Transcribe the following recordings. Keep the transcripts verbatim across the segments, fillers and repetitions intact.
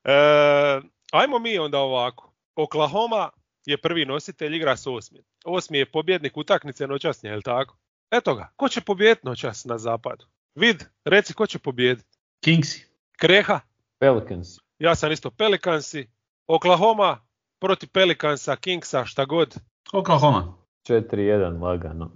e, ajmo mi onda ovako. Oklahoma je prvi nositelj, igra s osmi. Osmi je pobjednik utakmice noćasnje, je li tako? Eto ga, ko će pobijediti noćas na zapadu? Vid, reci ko će pobijediti. Kingsi. Kreha? Pelicans. Ja sam isto Pelicansi. Oklahoma protiv Pelicansa, Kingsa, šta god. Oklahoma. četiri jedan lagano.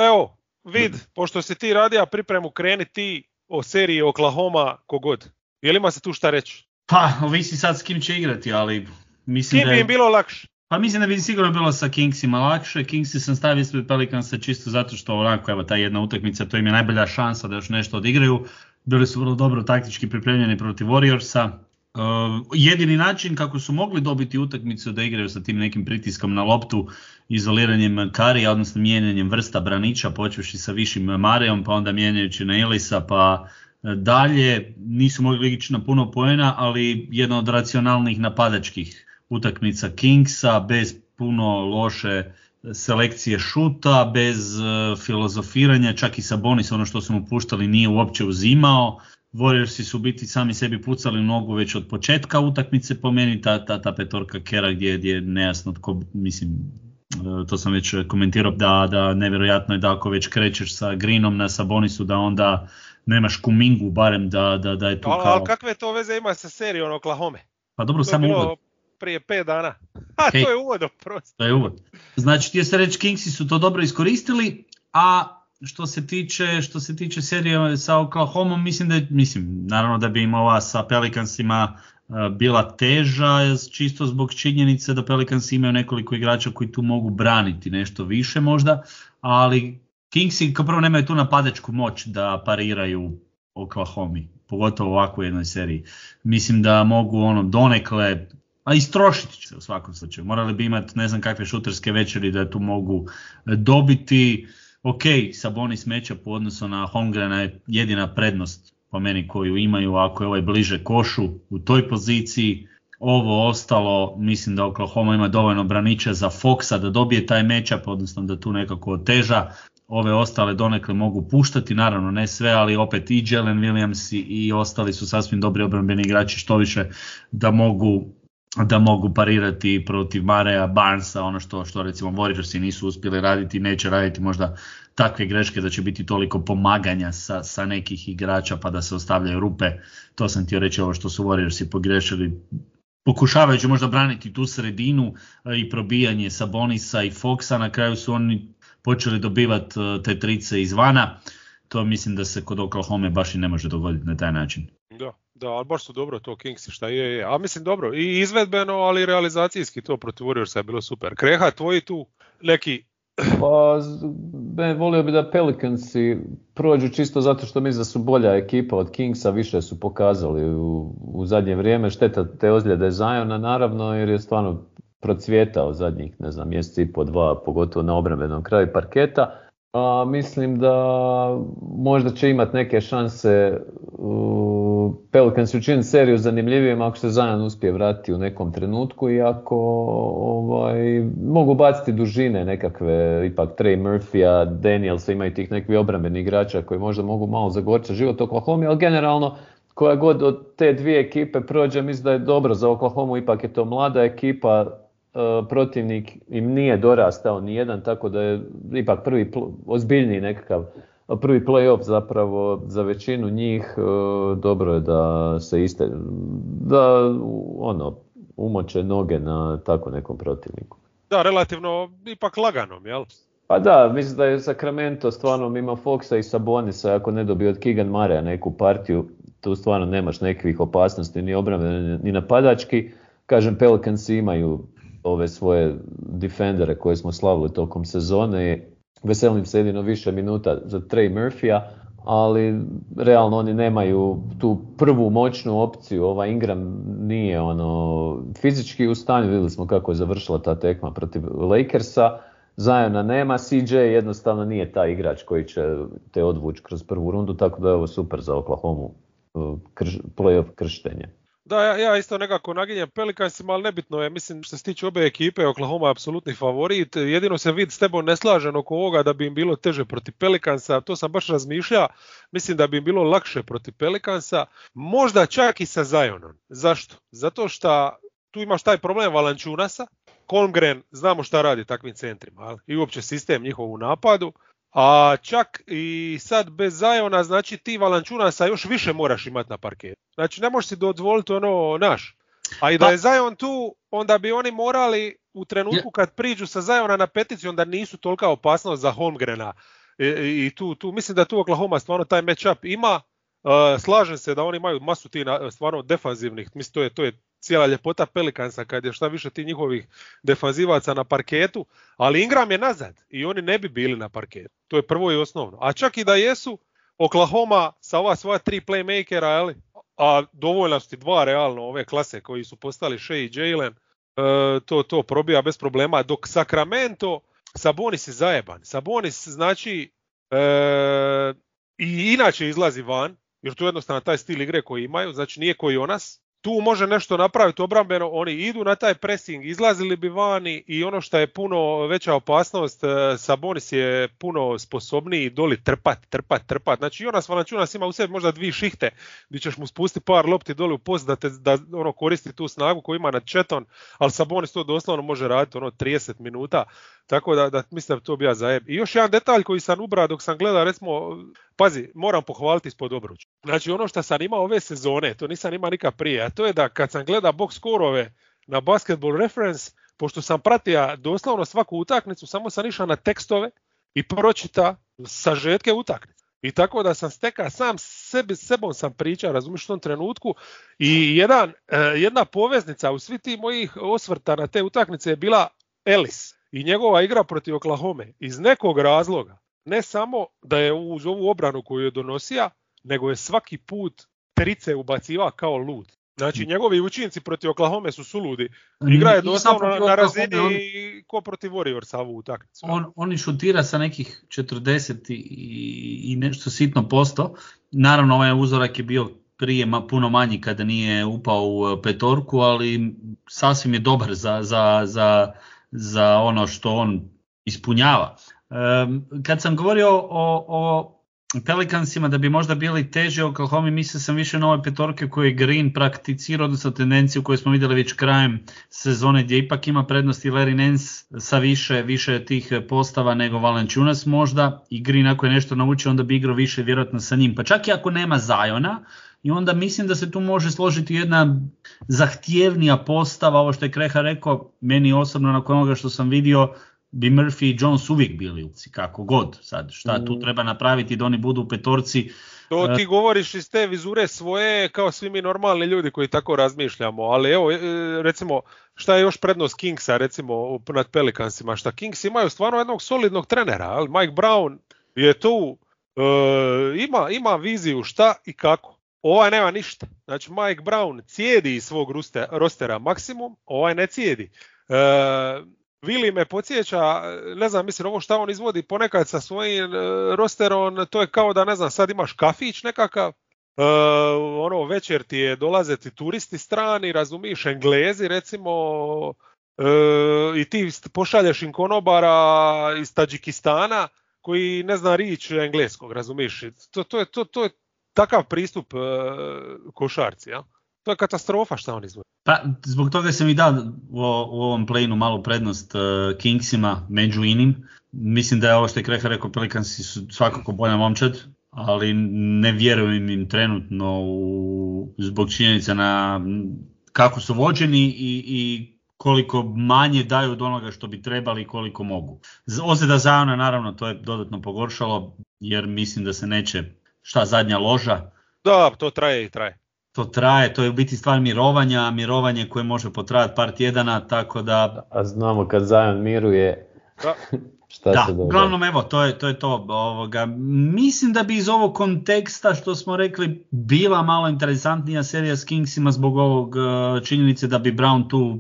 Evo, vid, pošto si ti radio pripremu, kreni ti o seriji Oklahoma kogod. Je li ima se tu šta reći? Pa, ovisi sad s kim će igrati, ali mislim kim da bi je... im bilo lakše? Pa mislim da bi sigurno bilo sa Kingsima lakše. Kingsi sam stavio ispred Pelicansa čisto zato što onako, evo, ta jedna utakmica, to im je najbolja šansa da još nešto odigraju. Bili su vrlo dobro taktički pripremljeni protiv Warriorsa. Uh, jedini način kako su mogli dobiti utakmicu da igraju sa tim nekim pritiskom na loptu, izoliranjem Karija, odnosno mijenjanjem vrsta braniča, počevši sa višim Marejom, pa onda mijenjajući na Elisa, pa dalje. Nisu mogli ići na puno poena, ali jedna od racionalnih napadačkih utakmica Kingsa, bez puno loše selekcije šuta, bez uh, filozofiranja, čak i Sabonis ono što su mu puštali nije uopće uzimao. Warriorsi su biti sami sebi pucali nogu već od početka utakmice, po meni ta, ta, ta petorka Kera gdje, gdje je nejasno tko, mislim, to sam već komentirao, da, da nevjerojatno je da ako već krećeš sa Greenom na Sabonisu da onda nemaš Kumingu barem da, da, da je tu ali, kao... Ali kakve to veze ima sa serijom Oklahoma? Pa dobro, to samo bilo uvod. Prije pet dana. A Okay. To je uvod oprosti. To je uvod. Znači ti je se reći Kingsi su to dobro iskoristili, a što se tiče, što se tiče serije sa Oklahomom, mislim da je, mislim, naravno da bi im ova sa Pelicansima uh, bila teža, čisto zbog činjenice da Pelicansi imaju nekoliko igrača koji tu mogu braniti nešto više možda, ali Kingsi kao prvo nemaju tu napadačku moć da pariraju Oklahomi, pogotovo u ovakvoj jednoj seriji. Mislim da mogu ono donekle, a istrošiti će se u svakom slučaju. Morali bi imati ne znam kakve šuterske večeri da tu mogu dobiti. Ok, Sabonis matchup u odnosu na Holmgrena je jedina prednost po meni koju imaju ako je ovaj bliže košu u toj poziciji. Ovo ostalo, mislim da Oklahoma ima dovoljno braniča za Foxa da dobije taj matchup, odnosno da tu nekako oteža. Ove ostale donekle mogu puštati, naravno ne sve, ali opet i Jalen Williams i, i ostali su sasvim dobri obrambeni igrači, što više da mogu da mogu parirati protiv Mareja, Barnesa, ono što, što recimo Warriorsi nisu uspjeli raditi, neće raditi možda takve greške da će biti toliko pomaganja sa, sa nekih igrača pa da se ostavljaju rupe. To sam htio reći, ovo što su Warriorsi pogrešili, pokušavajući možda braniti tu sredinu i probijanje Sabonisa i Foxa, na kraju su oni počeli dobivati te trice izvana. To mislim da se kod Oklahoma baš i ne može dogoditi na taj način. Da, da, ali baš su dobro to Kingsi, šta je, je. A mislim dobro, i izvedbeno, ali i realizacijski to protiv Warriorsa je bilo super. Kreha, tvoji tu neki... Pa, ben, volio bi da Pelicansi prođu čisto zato što mislim da su bolja ekipa od Kingsa, više su pokazali u, u zadnje vrijeme. Šteta te ozljede Ziona naravno, jer je stvarno procvjetao zadnjih, ne znam, mjesec i po dva, pogotovo na obrambenom kraju parketa. A, mislim da možda će imati neke šanse uh, Pelicans učiniti seriju zanimljivijim ako se Zion uspije vratiti u nekom trenutku i ako ovaj, mogu baciti dužine nekakve, ipak Trey Murphy-a, Danielsa, imaju tih nekih obrambenih igrača koji možda mogu malo zagorčati život Oklahoma, ali generalno koja god od te dvije ekipe prođe, mislim da je dobro za Oklahomu, ipak je to mlada ekipa, Uh, protivnik im nije dorastao ni jedan, tako da je ipak prvi pl- ozbiljniji nekakav prvi play-off zapravo za većinu njih. Uh, dobro je da se iste, da ono, umoče noge na tako nekom protivniku. Da, relativno ipak laganom, jel? Pa da, mislim da je Sacramento stvarno ima Foxa i Sabonisa, ako ne dobije od Keegan Murraya neku partiju, tu stvarno nemaš nekakvih opasnosti ni obrambene ni napadački. Kažem, Pelicansi imaju ove svoje defendere koje smo slavili tokom sezone. Veselim se jedino više minuta za Trey Murphy-a, ali realno oni nemaju tu prvu moćnu opciju. Ova Ingram nije ono fizički u stanju, vidjeli smo kako je završila ta tekma protiv Lakersa. Ziona nema, C J jednostavno nije taj igrač koji će te odvući kroz prvu rundu, tako da je ovo super za Oklahoma, krš, play-off krštenje. Da, ja, ja isto nekako naginjem Pelicansima, ali nebitno je, mislim što se tiče obe ekipe, Oklahoma je apsolutni favorit, jedino se vid s tebom ne slažem oko ovoga da bi im bilo teže protiv Pelicansa, to sam baš razmišljao, mislim da bi im bilo lakše protiv Pelicansa, možda čak i sa Zionom. Zašto? Zato što tu imaš taj problem Valanciunasa, Holmgren znamo šta radi takvim centrima, ali? I uopće sistem njihov u napadu. A čak i sad bez Ziona, znači ti Valanciunasa još više moraš imati na parketu. Znači ne možeš si dozvoliti ono naš. A i da je Zion tu, onda bi oni morali u trenutku kad priđu sa Ziona na petici, onda nisu tolika opasnost za Holmgrena. I, i tu, tu, mislim da tu Oklahoma stvarno taj matchup ima. Uh, slažem se da oni imaju masu ti na, stvarno defanzivnih, mislim to je, to je cijela ljepota Pelicansa kad je šta više ti njihovih defanzivaca na parketu, ali Ingram je nazad i oni ne bi bili na parketu. To je prvo i osnovno. A čak i da jesu, Oklahoma sa ova svoja tri playmakera, ali, a dovoljno su ti dva realno ove klase koji su postali Shea i Jalen, e, to, to probija bez problema, dok Sacramento, Sabonis je zajeban. Sabonis znači e, i inače izlazi van, jer tu je jednostavno taj stil igre koji imaju, znači nije koji Jonas. Tu može nešto napraviti obrambeno, oni idu na taj pressing, izlazili bi vani i ono što je puno veća opasnost, Sabonis je puno sposobniji doli trpat, trpat, trpat. Znači Jonas Valanciunas ima u sebi možda dvije šihte gdje ćeš mu spustiti par lopti doli u post da, te, da ono koristi tu snagu koju ima nad Četon, ali Sabonis to doslovno može raditi ono trideset minuta, tako da, da mislim da to bi ja zajeb. I još jedan detalj koji sam ubrao dok sam gledao, recimo, pazi, moram pohvaliti ispod obruča. Znači ono što sam imao ove sezone, to nisam imao nikad prije, a to je da kad sam gledao box skorove na Basketball Reference, pošto sam pratio doslovno svaku utakmicu, samo sam išao na tekstove i pročita sažetke utakmice. I tako da sam stekao sam sebi, sebom sam pričao, razumiješ, u tom trenutku. I jedan, jedna poveznica u svi ti mojih osvrta na te utakmice je bila Ellis i njegova igra protiv Oklahome. Iz nekog razloga, ne samo da je uz ovu obranu koju je donosija, nego je svaki put trice ubacivao kao lud. Znači njegovi učinci protiv Oklahome su suludi. Igra je doslovno na, na razini on, ko protiv Warriorsa ovu utakmicu. On, oni šutira sa nekih četrdeset i, i nešto sitno posto. Naravno ovaj uzorak je bio prije ma, puno manji kada nije upao u petorku, ali sasvim je dobar za, za, za, za ono što on ispunjava. Um, kad sam govorio o, o Pelicansima da bi možda bili teži Oklahoma, mislio sam više na ove petorke koje je Green prakticirao, odnosno tendenciju koju smo vidjeli već krajem sezone gdje ipak ima prednosti Larry Nance sa više, više tih postava nego Valanciunas možda, i Green ako je nešto naučio onda bi igrao više vjerojatno sa njim, pa čak i ako nema Ziona. I onda mislim da se tu može složiti jedna zahtjevnija postava, ovo što je Kreha rekao, meni osobno nakon onoga što sam vidio bi Murphy i Jones uvijek bili uci, kako god. Sad, šta tu treba napraviti da oni budu u petorci? To ti govoriš iz te vizure svoje, kao svi mi normalni ljudi koji tako razmišljamo, ali evo, recimo, šta je još prednost Kingsa, recimo, nad Pelicansima, šta Kings imaju stvarno jednog solidnog trenera, ali Mike Brown je tu, e, ima, ima viziju šta i kako. Ovaj nema ništa. Znači, Mike Brown cijedi iz svog rostera maksimum, ovaj ne cijedi. E, Vili me podsjeća, ne znam, mislim, ovo šta on izvodi ponekad sa svojim e, rosterom, to je kao da, ne znam, sad imaš kafić nekakav, e, ono, večer ti je dolaze ti turisti strani, razumiš, Englezi recimo, e, i ti pošalješ im konobara iz Tadžikistana koji ne zna riječ engleskog, razumiš, to, to, je, to, to je takav pristup e, košarci, ja? To je katastrofa šta on izvodi. Pa, zbog toga sam i dao u, u ovom play-inu malu prednost uh, Kingsima među inim. Mislim da je ovo što je Kreha rekao, Pelicansi su svakako bolja momčad, ali ne vjerujem im trenutno u, zbog činjenica na kako su vođeni i, i koliko manje daju od onoga što bi trebali i koliko mogu. Ozljeda Ziona naravno to je dodatno pogoršalo, jer mislim da se neće, šta zadnja loža. Da, to traje i traje. To traje, to je u biti stvar mirovanja, mirovanje koje može potrajati par tjedana, tako da... A znamo kad Zion miruje, da. šta da, se događa. Uglavnom evo, to je to. Je to ovoga. Mislim da bi iz ovog konteksta što smo rekli bila malo interesantnija serija s Kingsima zbog ovog činjenice da bi Brown tu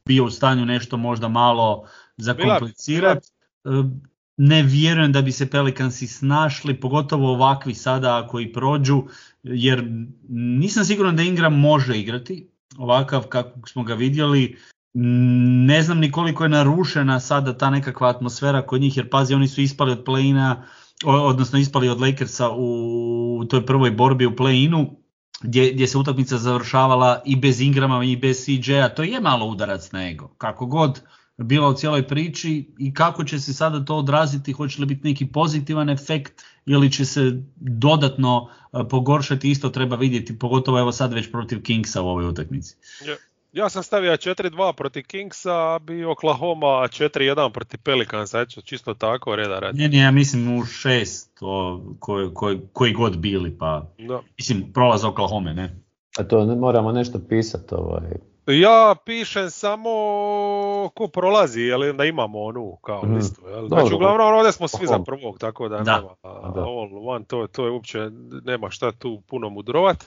bio u stanju nešto možda malo zakomplicirati. Ne vjerujem da bi se Pelicansi snašli, pogotovo ovakvi sada ako i prođu, jer nisam siguran da Ingram može igrati ovakav kako smo ga vidjeli. Ne znam ni koliko je narušena sada ta nekakva atmosfera kod njih, jer pazi, oni su ispali od play-ina, odnosno ispali od Lakersa u toj prvoj borbi u play-inu, gdje, gdje se utakmica završavala i bez Ingrama i bez C J-a. To je malo udarac na ego, kako god bila u cijeloj priči, i kako će se sada to odraziti, hoće li biti neki pozitivan efekt ili će se dodatno pogoršati, isto treba vidjeti, pogotovo evo sad već protiv Kingsa u ovoj utakmici. Yeah. Ja sam stavio četiri dva protiv Kingsa, a bi Oklahoma četiri jedan protiv Pelicansa, eto, čisto tako reda radi. Ne, ne, ja mislim u šest, o, koji, koji, koji god bili, pa da. Mislim prolaz Oklahoma, ne? A to ne, moramo nešto pisati ovaj. Ja pišem samo ko prolazi, jel da imamo onu kao mm. listu, jel? Znači uglavnom ovdje smo svi za prvog, tako da, da. nema da. all one, to, to je uopće, nema šta tu puno mudrovat.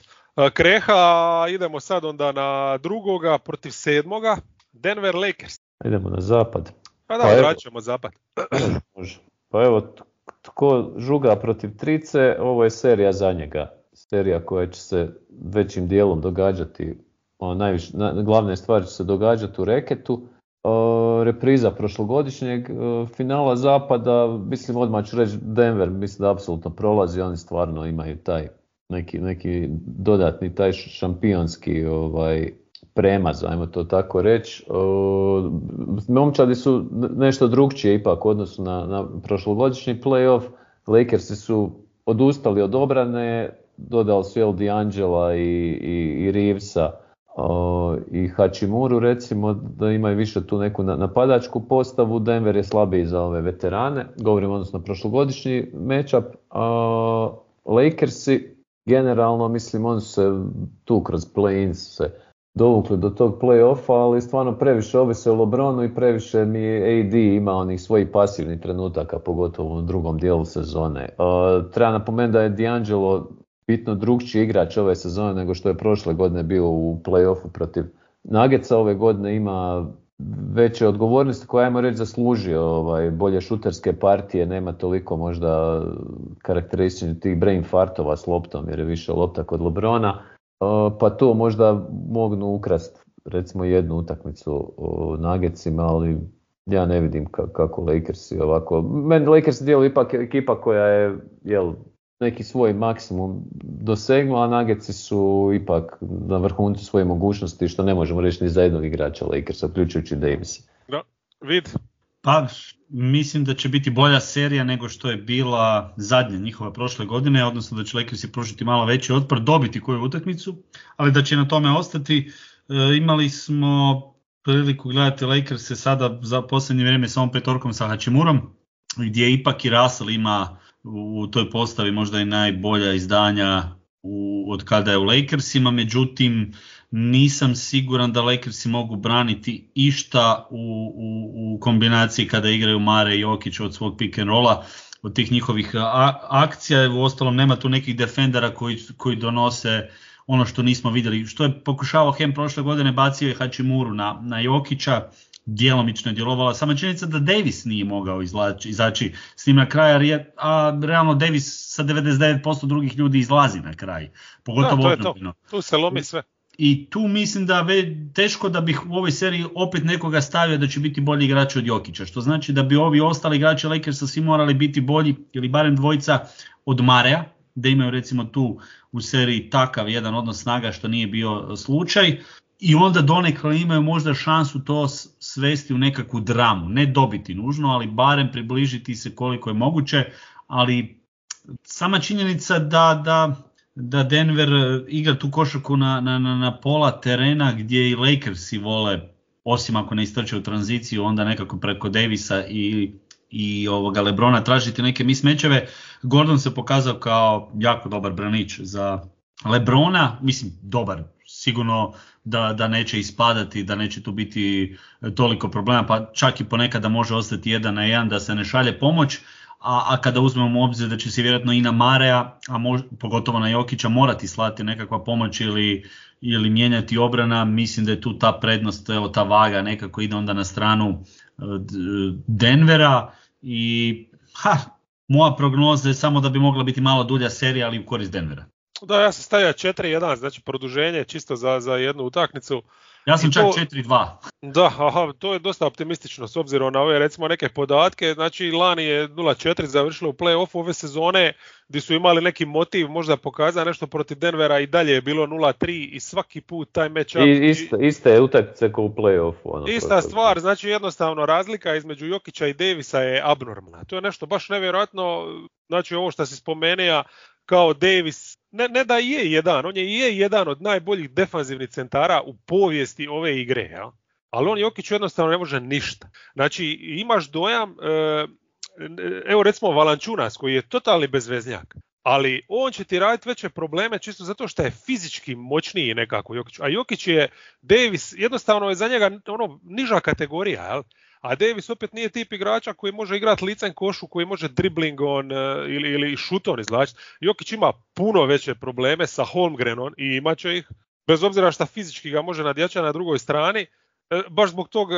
Kreha, idemo sad onda na drugoga protiv sedmoga, Denver Lakers. Idemo na zapad. Pa da, vraćamo zapad. Može. Pa evo, tko žuga protiv trice, ovo je serija za njega. Serija koja će se većim dijelom događati, o, najviše, na, glavne stvari će se događati u reketu. O, repriza prošlogodišnjeg o, finala zapada, mislim odmah ću reći Denver, mislim da apsolutno prolazi, oni stvarno imaju taj neki, neki dodatni taj šampionski ovaj, premaz, ajmo to tako reći. Momčadi su nešto drugčije ipak u odnosu na, na prošlogodišnji playoff. Lakersi su odustali od obrane, dodali su El D'Angela i, i, i Reevesa o, i Hachimuru, recimo da imaju više tu neku napadačku postavu. Denver je slabiji za ove veterane, govorim odnosno prošlogodišnji matchup. O, Lakersi generalno, mislim, oni su se tu kroz play-in se dovukli do tog play-offa, ali stvarno previše ovise o LeBronu i previše mi A D ima onih svojih pasivnih trenutaka, pogotovo u drugom dijelu sezone. Uh, treba napomenuti da je D'Angelo bitno drugčiji igrač ove sezone nego što je prošle godine bio u play-offu protiv Nuggetsa. Ove godine ima veće odgovornosti koje, ajmo reći, zaslužio ovaj, bolje šuterske partije, nema toliko možda karakterističnih tih brain fartova s loptom jer je više lopta kod LeBrona, uh, pa to možda mognu ukrast recimo jednu utakmicu u Nuggetsima, ali ja ne vidim ka- kako Lakersi ovako. Meni Lakers djeluju ipak ekipa koja je jel, neki svoj maksimum dosegnula, a Nuggetsi su ipak na vrhuncu svoje mogućnosti, što ne možemo reći ni za jednog igrača Lakersa, uključujući Davisa. Da, vid. Pa, mislim da će biti bolja serija nego što je bila zadnja njihova prošle godine, odnosno da će Lakersi pružiti malo veći otpor, dobiti koju utakmicu, ali da će na tome ostati. E, imali smo priliku gledati Lakerse sada za posljednje vrijeme sa ovom petorkom sa Hachimurom, gdje ipak i Russell ima u toj postavi možda i najbolja izdanja u, od kada je u Lakersima, međutim nisam siguran da Lakersi mogu braniti išta u, u, u kombinaciji kada igraju Mare i Jokić od svog pick and rolla, od tih njihovih a, akcija. U ostalom nema tu nekih defendera koji, koji donose ono što nismo vidjeli. Što je pokušavao Hem prošle godine, bacio je Hachimuru na, na Jokića, djelomično je djelovala. Sama činjenica da Davis nije mogao izlači, izaći s njim na kraj, a realno Davis sa devedeset devet posto drugih ljudi izlazi na kraj. Pogotovo da, to je to. Tu se lomi sve. I tu mislim da je teško da bih u ovoj seriji opet nekoga stavio da će biti bolji igrač od Jokića, što znači da bi ovi ostali igrači Lakersa svi morali biti bolji ili barem dvojica od Marea, da imaju recimo tu u seriji takav jedan odnos snaga što nije bio slučaj. I onda donekle imaju možda šansu to svesti u nekakvu dramu, ne dobiti nužno, ali barem približiti se koliko je moguće, ali sama činjenica da, da, da Denver igra tu košarku na, na, na pola terena gdje i Lakersi vole, osim ako ne istrče u tranziciju, onda nekako preko Davisa i, i ovoga LeBrona tražiti neke mismečeve. Gordon se pokazao kao jako dobar branič za LeBrona, mislim dobar, sigurno da, da neće ispadati, da neće tu biti toliko problema, pa čak i ponekada može ostati jedan na jedan da se ne šalje pomoć, a, a kada uzmemo u obzir da će se vjerojatno i na Marea, a mož, pogotovo na Jokića morati slati nekakva pomoć ili, ili mijenjati obrana, mislim da je tu ta prednost, evo ta vaga nekako ide onda na stranu Denvera i ha, moja prognoza je samo da bi mogla biti malo dulja serija, ali u korist Denvera. Da, ja sam stavio četiri jedan, znači produženje čisto za, za jednu utakmicu. Ja sam I čak to, četiri dva. Da, aha, to je dosta optimistično s obzirom na ove recimo neke podatke. Znači lani je nula četiri završilo u play-offu ove sezone gdje su imali neki motiv možda pokazati nešto protiv Denvera i dalje je bilo nula tri i svaki put taj match-up. I iste, iste je utakmice kao u play-offu. Ono, ista protiv. stvar, znači jednostavno razlika između Jokića i Davisa je abnormalna. To je nešto baš nevjerojatno, znači ovo što si spomenuo kao Davis, ne, ne da je jedan, on je i je jedan od najboljih defanzivnih centara u povijesti ove igre, ja? Ali on Jokić jednostavno ne može ništa. Znači imaš dojam, evo recimo Valančunas koji je totalni bezveznjak, ali on će ti raditi veće probleme čisto zato što je fizički moćniji nekako Jokić. A Jokić je, Davis jednostavno je za njega ono niža kategorija, jel? A Davis opet nije tip igrača koji može igrati licem košu, koji može dribling on uh, ili, ili šut on izvlačiti. Jokić ima puno veće probleme sa Holmgrenom i imat će ih, bez obzira što fizički ga može nadjačati na drugoj strani, uh, baš zbog tog uh,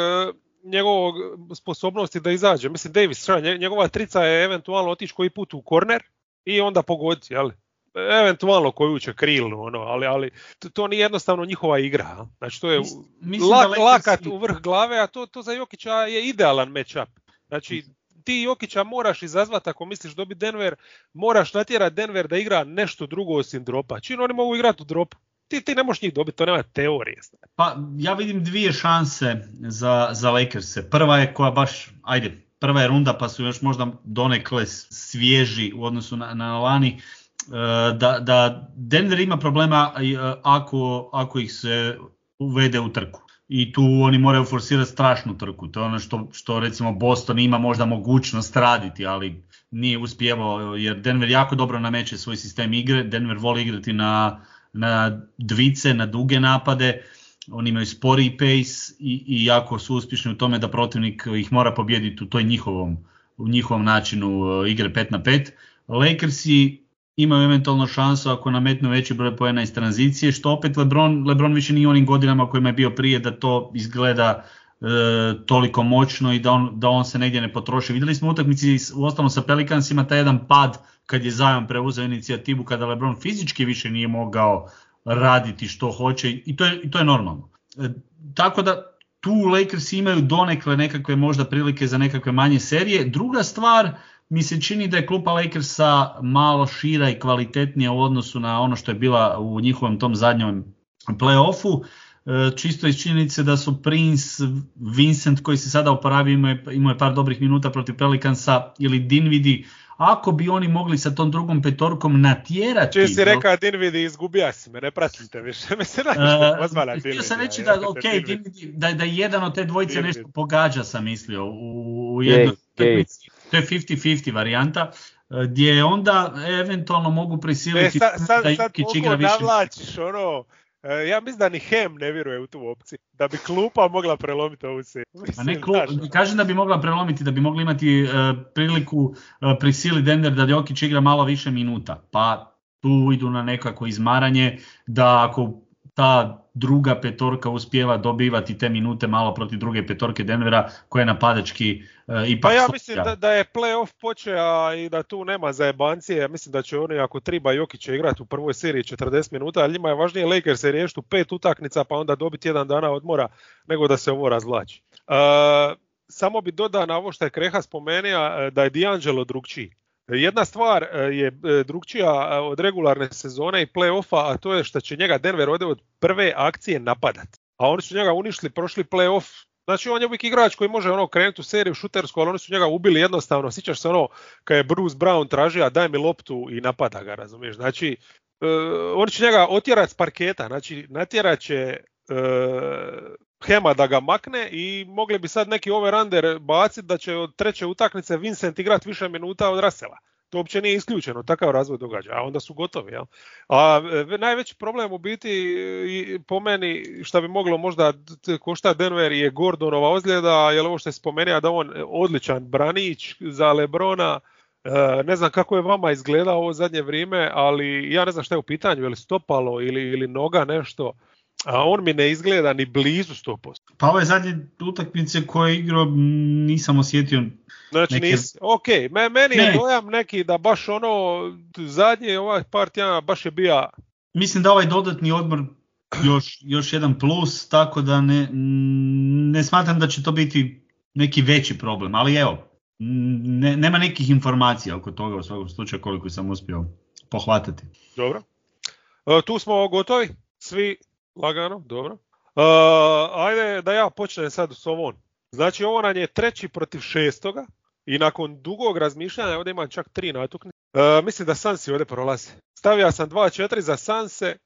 njegovog sposobnosti da izađe. Mislim, Davis, njegova trica je eventualno otići koji put u korner i onda pogoditi, jel? Eventualno koju će krilnu, ono, ali, ali to nije jednostavno njihova igra. Znači to je Mislim lak, da lakat si... u vrh glave, a to, to za Jokića je idealan match-up. Znači ti Jokića moraš izazvati ako misliš dobiti Denver, moraš natjerati Denver da igra nešto drugo osim dropa. Čini oni mogu igrati u dropu. Ti, ti ne možeš njih dobiti, to nema teorije. Pa ja vidim dvije šanse za, za Lakers-e. Prva je koja baš, ajde, prva je runda pa su još možda donekle svježi u odnosu na, na lani. Da, da Denver ima problema ako, ako ih se uvede u trku. I tu oni moraju forsirati strašnu trku. To je ono što, što recimo Boston ima možda mogućnost raditi, ali nije uspjevao jer Denver jako dobro nameće svoj sistem igre. Denver voli igrati na, na dvice, na duge napade. Oni imaju sporiji pace i, i jako su uspješni u tome da protivnik ih mora pobijediti u toj njihovom, u njihovom načinu igre pet na pet. Lakersi imaju eventualno šansu ako nametnu veći broj poena iz tranzicije, što opet LeBron, LeBron više nije onim godinama kojima je bio prije da to izgleda e, toliko moćno i da on, da on se negdje ne potroši. Vidjeli smo u utakmici u ostalom sa Pelicansima taj jedan pad kad je Zion preuzeo inicijativu, kada LeBron fizički više nije mogao raditi što hoće i to je, i to je normalno. E, tako da tu Lakers imaju donekle nekakve možda prilike za nekakve manje serije. Druga stvar, mi se čini da je klupa Lakersa malo šira i kvalitetnija u odnosu na ono što je bila u njihovom tom zadnjem play-offu. Čisto iz činjenice da su Prince, Vincent koji se sada oporavio, imao je par dobrih minuta protiv Pelicansa, ili Dinwiddie, ako bi oni mogli sa tom drugom petorkom natjerati... Čiji si rekao Dinwiddie, izgubija si me, ne pratite više. Mislim da je pozvala Dinwiddie. Htio sam reći da, ok, Dinwiddie, da, da jedan od te dvojice Dinwiddie nešto pogađa, sam mislio, u, u jednoj utakmici. To je pedeset pedeset varijanta, gdje onda eventualno mogu prisiliti e, sad, sad, da Jokić igra više. Sad navlačiš ono, ja mislim da ni Hem ne vjeruje u tu opciju, da bi klupa mogla prelomiti ovu seriju. A ne klub, kažem da bi mogla prelomiti, da bi mogli imati uh, priliku uh, prisili Denver da Jokić igra malo više minuta, pa tu idu na nekako izmaranje, da ako ta druga petorka uspijeva dobivati te minute malo protiv druge petorke Denvera koja je napadački uh, ipak... Pa ja mislim da, da je play-off počeo i da tu nema zajebancije. Ja mislim da će oni ako triba Jokića igrati u prvoj seriji četrdeset minuta, ali njima je važnije Lakers se riješiti u pet utakmica pa onda dobiti jedan dana odmora nego da se ovo razvlači. Uh, samo bi dodao na ovo što je Kreha spomenuo da je D'Angelo drugčiji. Jedna stvar je drugčija od regularne sezone i play-offa, a to je što će njega Denver ovdje od prve akcije napadat. A oni su njega uništili prošli play-off. Znači on je uvijek igrač koji može ono krenuti u seriju šutersku, ali oni su njega ubili jednostavno. Sjećaš se ono kad je Bruce Brown tražio daj mi loptu i napada ga, razumiješ. Znači uh, oni će njega otjerati s parketa, znači natjerat će uh, Hema da ga makne i mogli bi sad neki over-under baciti da će od treće utakmice Vincent igrati više minuta od Russella. To uopće nije isključeno, takav razvoj događa, a onda su gotovi. Jel? A e, najveći problem u biti i, po meni što bi moglo možda košta Denver je Gordonova ozljeda, jer ovo što je spomenuo da on odličan branić za LeBrona. E, ne znam kako je vama izgledao ovo zadnje vrijeme, ali ja ne znam šta je u pitanju, je li stopalo ili, ili noga nešto. a on mi ne izgleda ni blizu sto posto. Pa ove zadnje utakmice koje je igrao nisam osjetio. Znači neke... nisi, ok, meni ne. je dojam neki da baš ono, zadnje ovaj par tjedana baš je bio... Mislim da ovaj dodatni odmor još, još jedan plus, tako da ne, ne smatram da će to biti neki veći problem, ali evo, ne, nema nekih informacija oko toga u svakom slučaju koliko sam uspio pohvatati. Dobro, e, tu smo gotovi, svi lagano, dobro. E, ajde da ja počnem sad s ovom. Znači ovo nam je treći protiv šestoga i nakon dugog razmišljanja ovdje imam čak tri natuknice. E, mislim da Sansi ovdje prolaze. Stavio sam dva četiri za Sanse, e,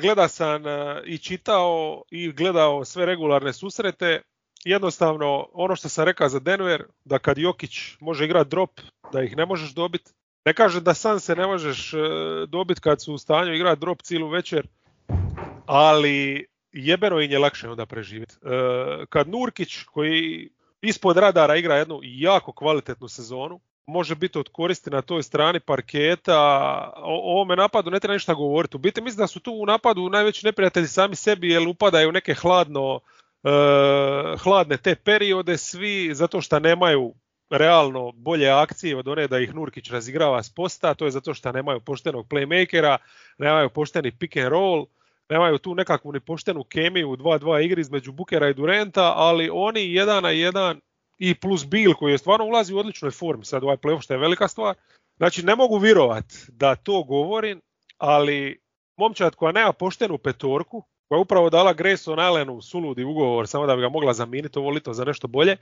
gleda sam e, i čitao i gledao sve regularne susrete. Jednostavno ono što sam rekao za Denver, da kad Jokić može igrati drop, da ih ne možeš dobiti. Ne kažem da Sanse ne možeš e, dobiti kad su u stanju igrati drop cijelu večer, ali jebeno im je lakše onda preživjeti. E, kad Nurkić koji ispod radara igra jednu jako kvalitetnu sezonu, može biti od koristi na toj strani parketa, o ovome napadu ne treba ništa govoriti. U biti mislim da su tu u napadu najveći neprijatelji sami sebi jer upadaju u neke hladno, e, hladne te periode svi zato što nemaju realno bolje akcije od one da ih Nurkić razigrava s posta, to je zato što nemaju poštenog playmakera, nemaju pošteni pick and roll, nemaju tu nekakvu ni poštenu kemiju u dva dva igri između Bookera i Duranta, ali oni jedan na jedan i plus Beal koji je stvarno ulazi u odličnoj formi sad ovaj playoff što je velika stvar. Znači ne mogu vjerovati da to govorim, ali momčad koja nema poštenu petorku, koja je upravo dala Grayson Allenu suludi ugovor samo da bi ga mogla zamijeniti ovo lito za nešto bolje,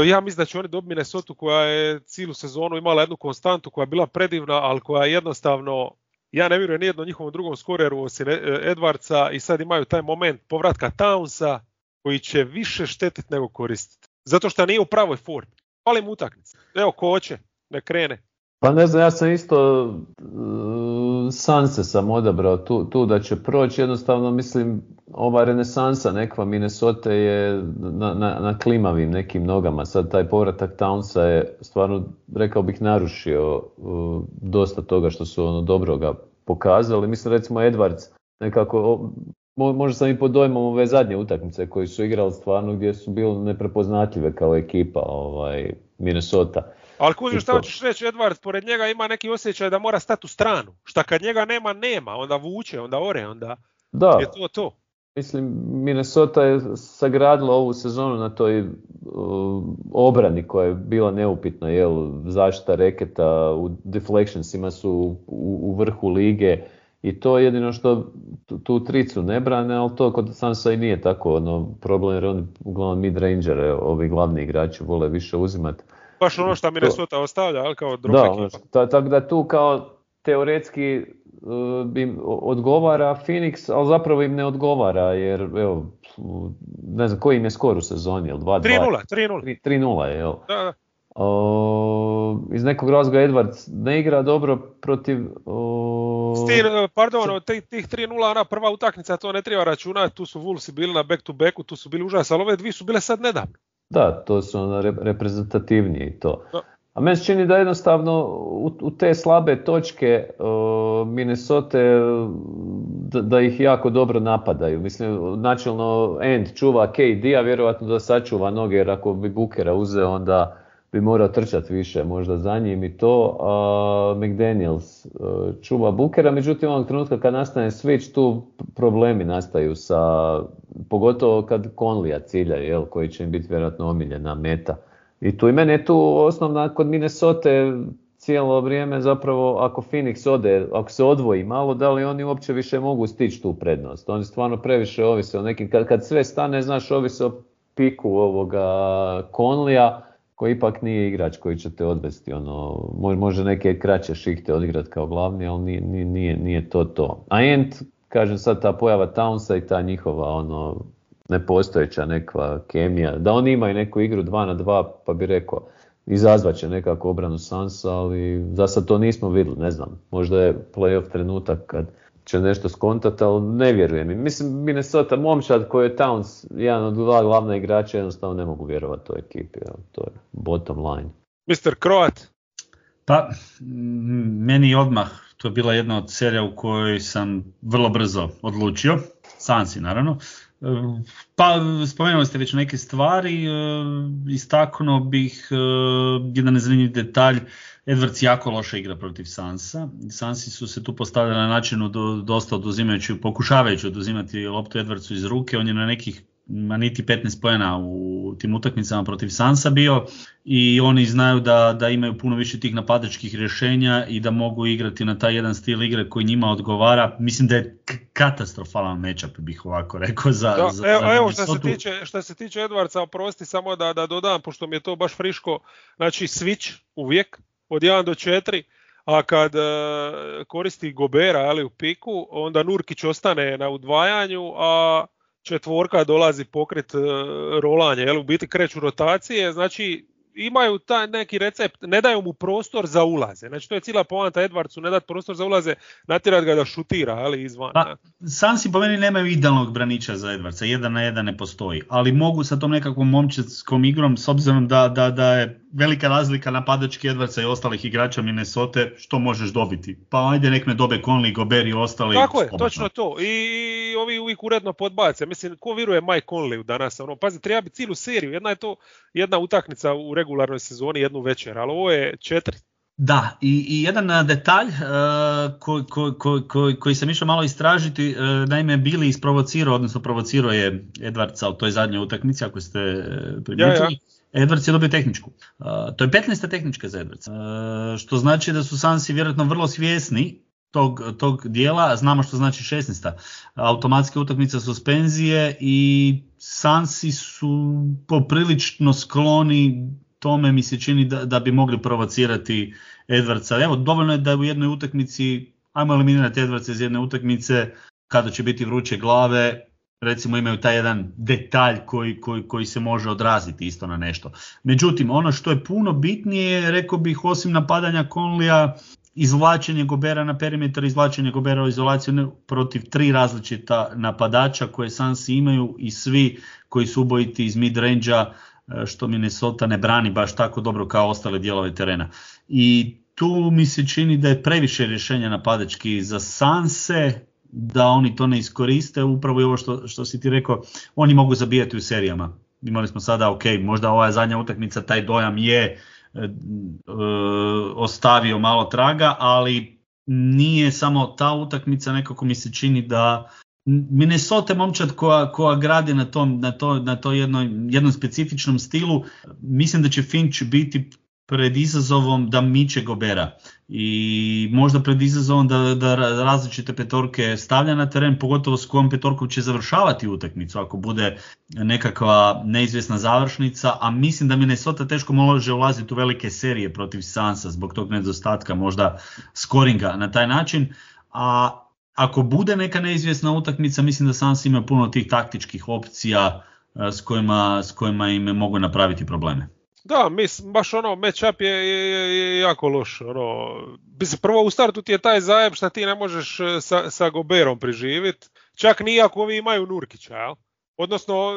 ja mislim da će oni dobiti Minnesota koja je cijelu sezonu imala jednu konstantu koja je bila predivna, ali koja je jednostavno, ja ne vjerujem nijednom njihovom drugom skoreru osim Edwardsa i sad imaju taj moment povratka Townsa koji će više štetiti nego koristiti. Zato što nije u pravoj formi. Fali mu utakmice. Evo ko hoće, ne krene. Pa ne znam, ja sam isto uh, Sanse sam odabrao tu, tu da će proći. Jednostavno mislim ova renesansa nekva Minnesota je na, na, na klimavim nekim nogama. Sad taj povratak Townsa je stvarno, rekao bih, narušio uh, dosta toga što su ono dobroga pokazali. Mislim recimo Edwards nekako, mo, možda sam i pod dojmom ove zadnje utakmice koji su igrali stvarno gdje su bili neprepoznatljive kao ekipa ovaj, Minnesota. Ali kužiš šta hoćeš reći, Edwards pored njega ima neki osjećaj da mora stati u stranu. Šta kad njega nema, nema, onda vuče, onda ore, onda da. Je to to. Mislim, Minnesota je sagradila ovu sezonu na toj uh, obrani koja je bila neupitna, jel, zaštita reketa, u deflectionsima su u, u vrhu lige i to je jedino što tu, tu tricu ne brane, ali to kod Sansa i nije tako ono, problem jer oni uglavnom mid-rangere, ovi glavni igrači vole više uzimati. Baš ono što Minnesota ostavlja, ali kao drop ekipa. Da, tako da tu kao teoretski uh, im odgovara Phoenix, ali zapravo im ne odgovara, jer evo, ne znam koji im je skor u sezoni, jel dva dva? tri nula, tri nula. tri nula je, jel? Da, da. Uh, iz nekog razloga Edwards ne igra dobro protiv... Uh... Stil, pardon, tih, tih tri nula, ona prva utakmica, to ne treba računati, tu su Wolvesi bili na back to backu, tu su bili užas, ali ove dvije su bile sad nedavno. Da, to su ono reprezentativniji i to. Da. A meni se čini da jednostavno u, u te slabe točke uh, Minnesota da, da ih jako dobro napadaju. Mislim, načelno End čuva K D-a, vjerojatno da sačuva noge, jer ako bi Bookera uzeo, onda bi morao trčati više možda za njim i to. A McDaniels uh, čuva Bookera, međutim onog trenutka kad nastane switch, tu problemi nastaju sa, pogotovo kad Conleya cilja, jel, koji će im biti vjerojatno omiljena meta. I tu i mene je tu osnovna kod Minnesota cijelo vrijeme zapravo ako Phoenix ode, ako se odvoji malo, da li oni uopće više mogu stići tu prednost. Oni stvarno previše ovise o nekim, kad, kad sve stane, znaš, ovise o piku ovoga Conleya, koji ipak nije igrač koji će te odvesti, ono, može neke kraće šihte odigrati kao glavni, ali nije, nije, nije to to. A Ent, kažem sad, ta pojava Townsa i ta njihova ono nepostojeća nekva kemija, da oni imaju neku igru dva na dva, pa bi rekao, izazvaće nekako obranu Sansa, ali za sad to nismo vidjeli, ne znam, možda je playoff trenutak kad će nešto skontati, ali ne vjerujem. Mislim, Minnesota, momčad koji je Towns, jedan od dva glavna igrača, jednostavno ne mogu vjerovati toj ekipi, to je bottom line. mister Croat? Pa, meni odmah, to je bila jedna od serija u kojoj sam vrlo brzo odlučio. Sansi, naravno. Pa spomenuli ste već neke stvari, istaknuo bih jedan zanimljiv detalj. Edwards jako loše igra protiv Sansa. Sansi su se tu postavili na načinu do, dosta oduzimajući, pokušavajući oduzimati loptu Edwardsu iz ruke. On je na nekih ma niti petnaest poena u tim utakmicama protiv Sansa bio i oni znaju da, da imaju puno više tih napadačkih rješenja i da mogu igrati na taj jedan stil igre koji njima odgovara. Mislim da je k- katastrofalan matchup, bih ovako rekao. Za, da, za, evo, za evo što se tiče, što se tiče Edwardsa, oprosti samo da, da dodam, pošto mi je to baš friško, znači switch uvijek od jedan do četiri, a kad e, koristi Gobera ali u piku, onda Nurkić ostane na udvajanju, a četvorka dolazi pokrit uh, rolanje, jel, u biti kreću rotacije, znači imaju taj neki recept, ne daju mu prostor za ulaze, znači to je cijela poanta Edwardsu, ne dati prostor za ulaze, natjerati ga da šutira, ali izvan. Pa, Sansi po meni nemaju idealnog braniča za Edwardsa, jedan na jedan ne postoji, ali mogu sa tom nekakvom momčarskom igrom, s obzirom da, da, da je velika razlika napadački Edwardsa i ostalih igrača Minnesota, što možeš dobiti? Pa ajde nek me dobe Conley, Gobert i ostali. Tako je, slobodno. točno to. I ovi uvijek uredno podbace. Mislim, ko vjeruje Mike Conleyu danas? Ono, pazi, treba biti cijelu seriju. Jedna je to jedna utakmica u regularnoj sezoni, jednu večer, ali ovo je četiri. Da, i, i jedan detalj uh, koji ko, ko, ko, koji sam išao malo istražiti, uh, naime Billy isprovocirao, odnosno provocirao je Edwardsa u toj zadnjoj utakmici, ako ste primijetili. Ja, ja. Edwards je dobio tehničku. Uh, to je petnaesta tehnička za Edwardsa, uh, što znači da su Sansi vjerojatno vrlo svjesni tog, tog dijela. Znamo što znači šesnaesta. Automatske utakmice, suspenzije i Sansi su poprilično skloni tome, mi se čini da, da bi mogli provocirati Edwardsa. Evo, dovoljno je da u jednoj utakmici, ajmo eliminirati Edwardsa iz jedne utakmice, kada će biti vruće glave, recimo imaju taj jedan detalj koji, koji, koji se može odraziti isto na nešto. Međutim, ono što je puno bitnije, rekao bih, osim napadanja Conleya, izvlačenje Gobera na perimetar, izvlačenje Gobera u izolaciju protiv tri različita napadača koje Sansi imaju i svi koji su ubojiti iz mid-range-a, što Minnesota ne brani baš tako dobro kao ostale dijelove terena. I tu mi se čini da je previše rješenja napadački za Sanse, da oni to ne iskoriste, upravo i ovo što, što si ti rekao, oni mogu zabijati u serijama. Imali smo sada, ok, možda ova zadnja utakmica, taj dojam je e, e, ostavio malo traga, ali nije samo ta utakmica, nekako mi se čini da Minnesota momčad koja, koja gradi na tom, na to, na to jednoj, jednom specifičnom stilu, mislim da će Finch biti pred izazovom da miče Gobera i možda pred izazovom da, da različite petorke stavlja na teren, pogotovo s kojom petorkom će završavati utakmicu ako bude nekakva neizvjesna završnica, a mislim da Minnesota teško može ulaziti u velike serije protiv Sansa zbog tog nedostatka možda skoringa na taj način, a ako bude neka neizvjesna utakmica, mislim da Sansi ima puno tih taktičkih opcija s kojima, s kojima im mogu napraviti probleme. Da, mislim, baš ono, matchup je, je, je jako loš. Ono, prvo u startu ti je taj zajeb što ti ne možeš sa, sa Goberom priživjeti, čak ni ako ovi imaju Nurkića, jel? Odnosno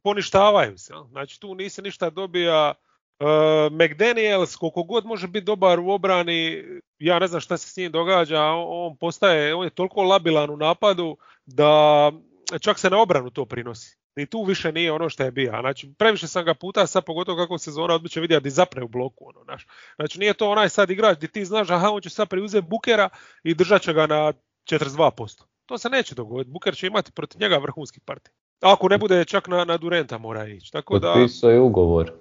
poništavaju se. Jel? Znači tu nisi ništa dobija. Uh, McDaniels, koliko god može biti dobar u obrani, ja ne znam šta se s njim događa, on postaje, on je toliko labilan u napadu da čak se na obranu to prinosi. Ni tu više nije ono što je bio. Znači, previše sam ga puta, sad pogotovo kako sezona odbiće vidjeti di zapne u bloku. Ono, znaš. Znači, nije to onaj sad igrač gdje ti znaš, aha, on će sad preuzeti Bookera i držat će ga na četrdeset dva posto. To se neće dogoditi. Booker će imati protiv njega vrhunski partij. Ako ne bude čak na, na Durenta mora ići. Tako da... Potpisao je ugovor.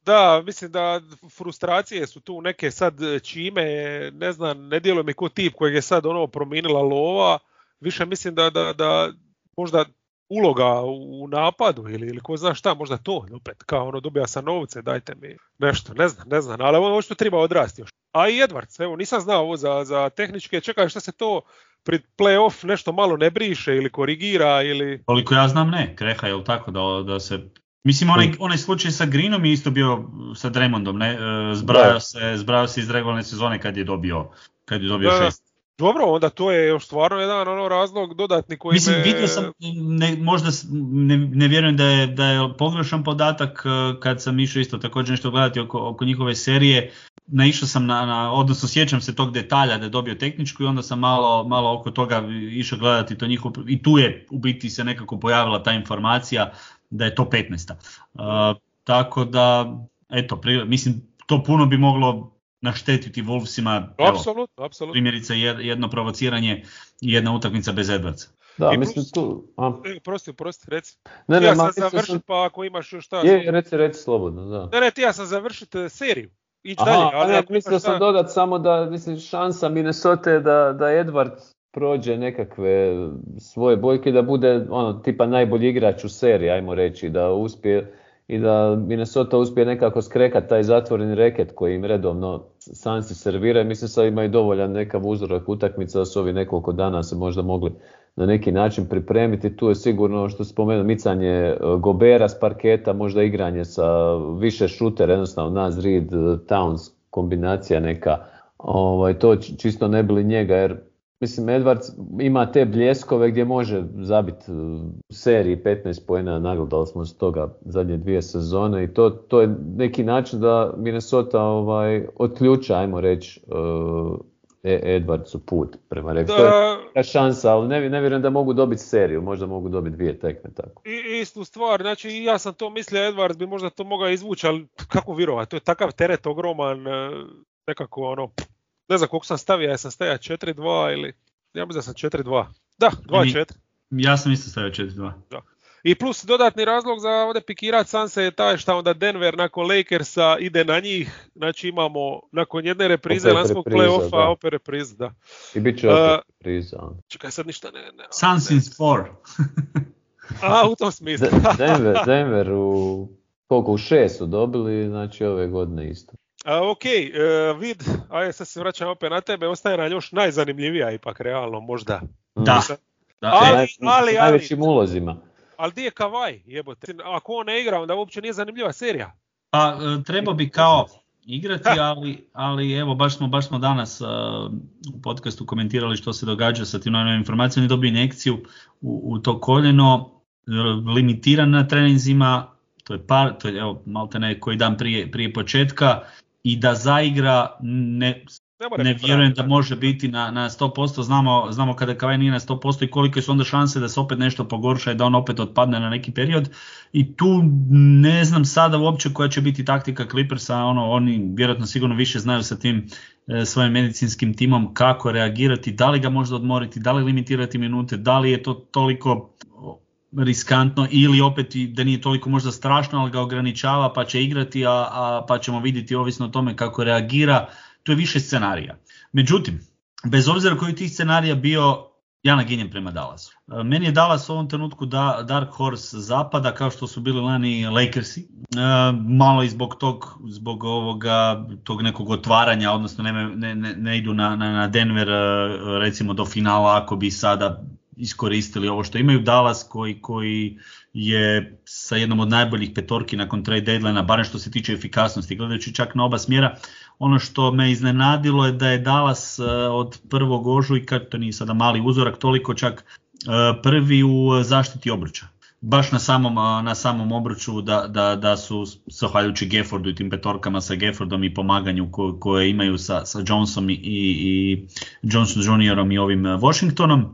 Da, mislim da frustracije su tu neke sad čime, ne znam, ne djeluje mi ko tip kojeg je sad ono promijenila lova, više mislim da, da, da možda uloga u napadu ili, ili ko zna šta, možda to opet, kao ono dobija sam novce, dajte mi nešto, ne znam, ne znam, ali ovo što treba odrasti još. A i Edwards, evo nisam znao ovo za, za tehničke, čekaj šta se to pred play-off nešto malo ne briše ili korigira ili... Koliko ja znam ne, kreha je li tako da, da se... Mislim, onaj, onaj slučaj sa Greenom je isto bio sa Draymondom, ne? Zbrajao se, zbrajao se iz regularne sezone kad je dobio, kad je dobio da, šest. Dobro, onda to je još stvarno jedan ono razlog dodatni koji Mislim, me... vidio sam, ne, možda ne, ne vjerujem da je, da je pogrešan podatak kad sam išao isto također nešto gledati oko, oko njihove serije. naišao sam na, na, odnosno sjećam se tog detalja da je dobio tehničku i onda sam malo, malo oko toga išao gledati to njihovo, i tu je u biti se nekako pojavila ta informacija da je to petnaesta. Uh, tako da, eto, pri, mislim, to puno bi moglo naštetiti Wolvesima. Apsolutno, apsolutno. Primjerice jedno provociranje i jedna utakmica bez Edwardsa. Da, I mislim plus, tu... A. Prosti, prosti, reci. Ne, ne, ja ma, sam završiti, pa ako imaš još šta... Je, reci, reci slobodno, da. Ne, ne, ti ja sam završiti seriju. Ići Aha, dalje. Ali ne, mislio sam šta... dodat samo da, mislim, šansa Minnesota je da, da Edward prođe nekakve svoje boljke, da bude ono tipa najbolji igrač u seriji, ajmo reći, da uspije i da Minnesota uspije nekako skrekat taj zatvoreni reket koji im redovno Sansi serviraju. Mislim sad imaju dovoljan nekav uzorak utakmica da su ovi nekoliko dana se možda mogli na neki način pripremiti. Tu je sigurno, što spomenuo, micanje Gobera s parketa, možda igranje sa više šutera, jednostavno Naz Reid, Towns kombinacija neka. Ovaj, to čisto ne bili njega, jer mislim Edwards ima te bljeskove gdje može zabiti u seriji petnaest poena, nagledali smo s toga zadnje dvije sezone i to, to je neki način da Minnesota ovaj, otključa, ajmo reći, uh, Edwardsu put prema reku. To je šansa, ali ne, ne vjerujem da mogu dobiti seriju, možda mogu dobiti dvije tekme tako. I, istu stvar, znači ja sam to mislio, Edwards bi možda to mogao izvući, ali kako vjerovati, to je takav teret ogroman, nekako ono, ne znam koliko sam stavio, ja sam stavio četiri dva ili, ja mislim da sam četiri dva, da, dva četiri. Ja sam isto stavio četiri dva. Da. I plus dodatni razlog za ovdje pikirat Sanse je taj što onda Denver nakon Lakersa ide na njih, znači imamo nakon jedne reprize lanskog play-offa opet reprize, da. I bit će opet uh, repriza. Čekaj sad ništa ne... ne Suns in four. A, u tom smislu. Denver, Denver u, koliko u šest su dobili, znači ove godine isto. A, ok, uh, vid, ajde sad se vraćam opet na tebe, ostaje nam još najzanimljivija ipak realno možda. Da. da. Ali, Naj, ali, najvećim ulozima. Ali di je Kawhi, jebote? Ako on ne igra, onda uopće nije zanimljiva serija. Pa treba bi kao igrati, ali, ali evo baš smo, baš smo danas uh, u podcastu komentirali što se događa sa tim novim informacijama. On je dobio injekciju u, u to koljeno, limitiran na treninzima, to je par, to je evo malte ne koji dan prije, prije početka, i da zaigra ne... Ne, ne vjerujem da može biti na, na sto posto, znamo, znamo kada Kawhi nije na sto posto i kolike su onda šanse da se opet nešto pogorša i da on opet otpadne na neki period. I tu ne znam sada uopće koja će biti taktika Clippersa, ono, oni vjerojatno sigurno više znaju sa tim e, svojim medicinskim timom kako reagirati, da li ga možda odmoriti, da li limitirati minute, da li je to toliko riskantno ili opet da nije toliko možda strašno, ali ga ograničava pa će igrati, a, a pa ćemo vidjeti ovisno o tome kako reagira. To je više scenarija. Međutim, bez obzira koji tih scenarija bio, ja naginjem prema Dallasu. Meni je Dallas u ovom trenutku da, Dark Horse zapada, kao što su bili lani Lakersi. E, malo i zbog tog, zbog ovoga, tog nekog otvaranja, odnosno ne, ne, ne idu na, na, na Denver recimo do finala ako bi sada iskoristili ovo što imaju. Dallas koji, koji je sa jednom od najboljih petorki nakon trade deadline-a, barem što se tiče efikasnosti, gledajući čak na oba smjera. Ono što me iznenadilo je da je Dallas od prvog ožujka, to nije sada mali uzorak, toliko čak prvi u zaštiti obruča. Baš na samom, na samom obruču da, da, da su, zahvaljujući Gaffordu i tim petorkama sa Gaffordom i pomaganju ko, koje imaju sa, sa Johnsonom i, i Johnson juniorom i ovim Washingtonom.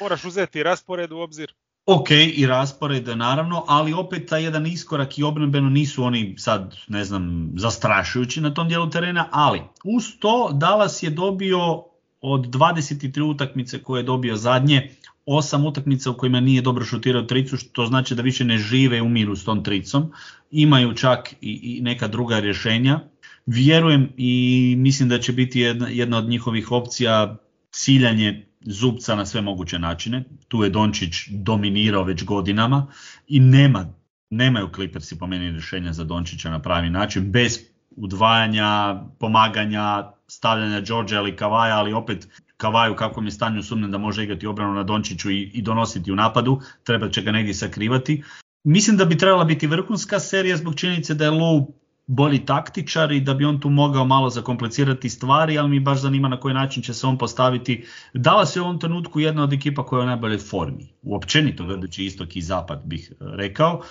Moraš uzeti raspored u obzir. Ok, i raspored naravno, ali opet taj jedan iskorak i obrambeno nisu oni sad, ne znam, zastrašujući na tom dijelu terena, ali uz to Dallas je dobio od dvadeset tri utakmice koje je dobio zadnje, osam utakmica u kojima nije dobro šutirao tricu, što znači da više ne žive u miru s tom tricom, imaju čak i, i neka druga rješenja. Vjerujem i mislim da će biti jedna, jedna od njihovih opcija ciljanje zupca na sve moguće načine. Tu je Dončić dominirao već godinama i nema, nemaju Clippersi po meni rješenja za Dončića na pravi način, bez udvajanja, pomaganja, stavljanja Georgea ili Kavaja, ali opet Kavaju kako mi je stanju sumnjam da može igrati obranu na Dončiću i, i donositi u napadu, treba će ga negdje sakrivati. Mislim da bi trebala biti vrhunska serija zbog činjenice da je Lou bolji taktičar i da bi on tu mogao malo zakomplicirati stvari, ali mi baš zanima na koji način će se on postaviti. Dallas je u ovom trenutku jedna od ekipa koja je u najboljoj formi, uopćenito gledajući istok i zapad bih rekao.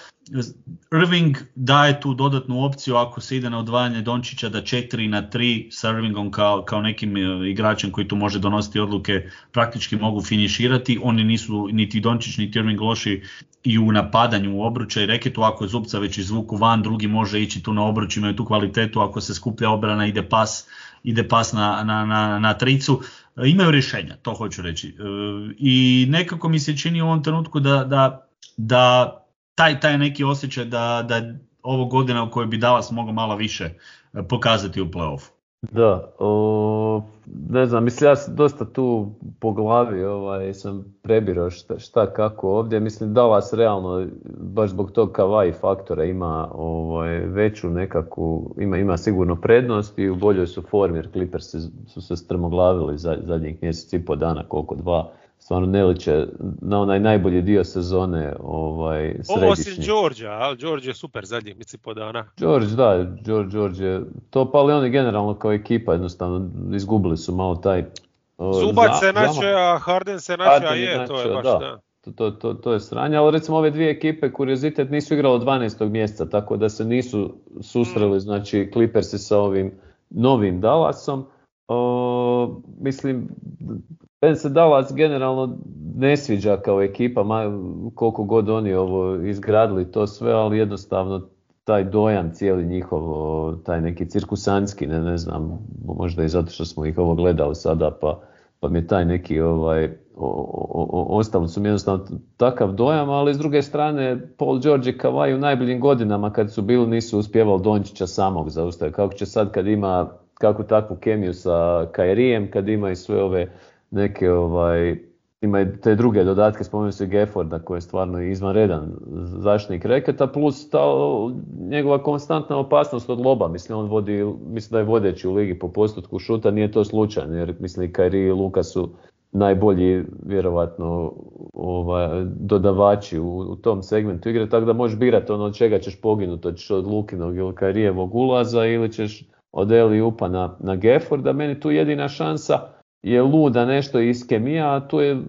Irving daje tu dodatnu opciju ako se ide na odvajanje Dončića da četiri na tri sa Irvingom kao, kao nekim igračem koji tu može donositi odluke praktički mogu finiširati. Oni nisu niti Dončić niti Irving loši i u napadanju u obruča i reketu. Ako je Zubca već izvuku van, drugi može ići tu na obruč, imaju tu kvalitetu. Ako se skuplja obrana ide pas, ide pas na, na, na, na tricu. Imaju rješenja, to hoću reći. I nekako mi se čini u ovom trenutku da, da, da taj, taj neki osjećaj da, da ovo godina u kojoj bi Dallas mogao malo više pokazati u play-offu. Da, o, ne znam, mislim ja dosta tu po glavi ovaj, sam prebirao šta, šta kako ovdje. Mislim Dallas realno, baš zbog tog Kawhi faktora ima ovaj, veću nekakvu, ima, ima sigurno prednost i u boljoj su formi jer Clippers su se strmoglavili za, zadnjih mjesec i po dana, koliko dva. Stvarno ne liče na onaj najbolji dio sezone ovaj, središnji. Osim Georgea, ali George je super zadnjih mjesec i po dana. George, da, George, George je to, pa ali oni generalno kao ekipa jednostavno izgubili su malo taj... Zubac za, se nače, a Harden se nače, a je, to je baš da. da. To, to, to, to je sranje, ali recimo ove dvije ekipe, kuriozitet, nisu igrali od dvanaestog mjeseca, tako da se nisu susreli, mm. znači Clippersi sa ovim novim Dallasom. O, mislim, Ben se Dallas generalno ne sviđa kao ekipa, koliko god oni ovo izgradili to sve, ali jednostavno taj dojam cijeli njihov, taj neki cirkusanski, ne, ne znam, možda i zato što smo ih ovo gledali sada, pa, pa mi je taj neki, ovaj, o, o, o, ostali su mi jednostavno takav dojam, ali s druge strane Paul George i Kawhi u najboljim godinama kad su bili nisu uspjevali Dončića samog zaustaviti. Kako će sad kad ima kakvu takvu kemiju sa Kyrijem, kad ima i sve ove neke, ovaj, ima i te druge dodatke, spomenuo se Gafforda koji je stvarno izvanredan zaštitnik reketa, plus ta njegova konstantna opasnost od loba, mislim on vodi, mislim da je vodeći u ligi po postotku šuta, nije to slučajno, jer mislim i Kyrie i Luka su najbolji vjerovatno ovaj, dodavači u, u tom segmentu igre, tako da možeš birati ono od čega ćeš poginuti, hoćeš od Lukinog ili Kyrievog ulaza ili ćeš od Eli upa na, na Gafforda. Meni tu jedina šansa je luda nešto iz kemija, a tu je,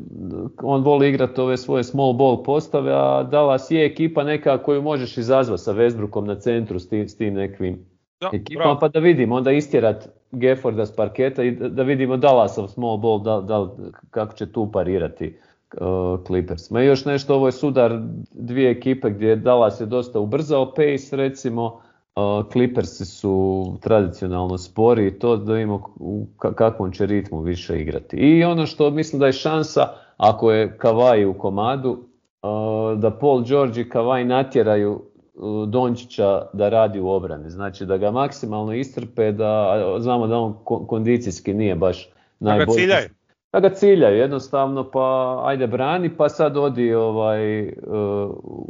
on voli igrati ove svoje small ball postave, a Dallas je ekipa neka koju možeš izazvati sa Westbrookom na centru s tim, s tim nekim da, ekipama, bravo. Pa da vidimo, onda istjerat Gafforda s parketa i da, da vidimo Dallasov small ball, da, da, kako će tu parirati uh, Clippers. Ma još nešto, ovo je sudar dvije ekipe gdje Dallas je dosta ubrzao pace, recimo, Uh, Clippersi su tradicionalno spori i to da vidimo u kakvom će ritmu više igrati. I ono što mislim da je šansa, ako je Kawhi u komadu, uh, da Paul George i Kawhi natjeraju uh, Dončića da radi u obrani. Znači da ga maksimalno iscrpe, da znamo da on kondicijski nije baš najbolji. Da ga ciljaju. Da ga ciljaju jednostavno, pa ajde brani, pa sad odi ovaj, uh,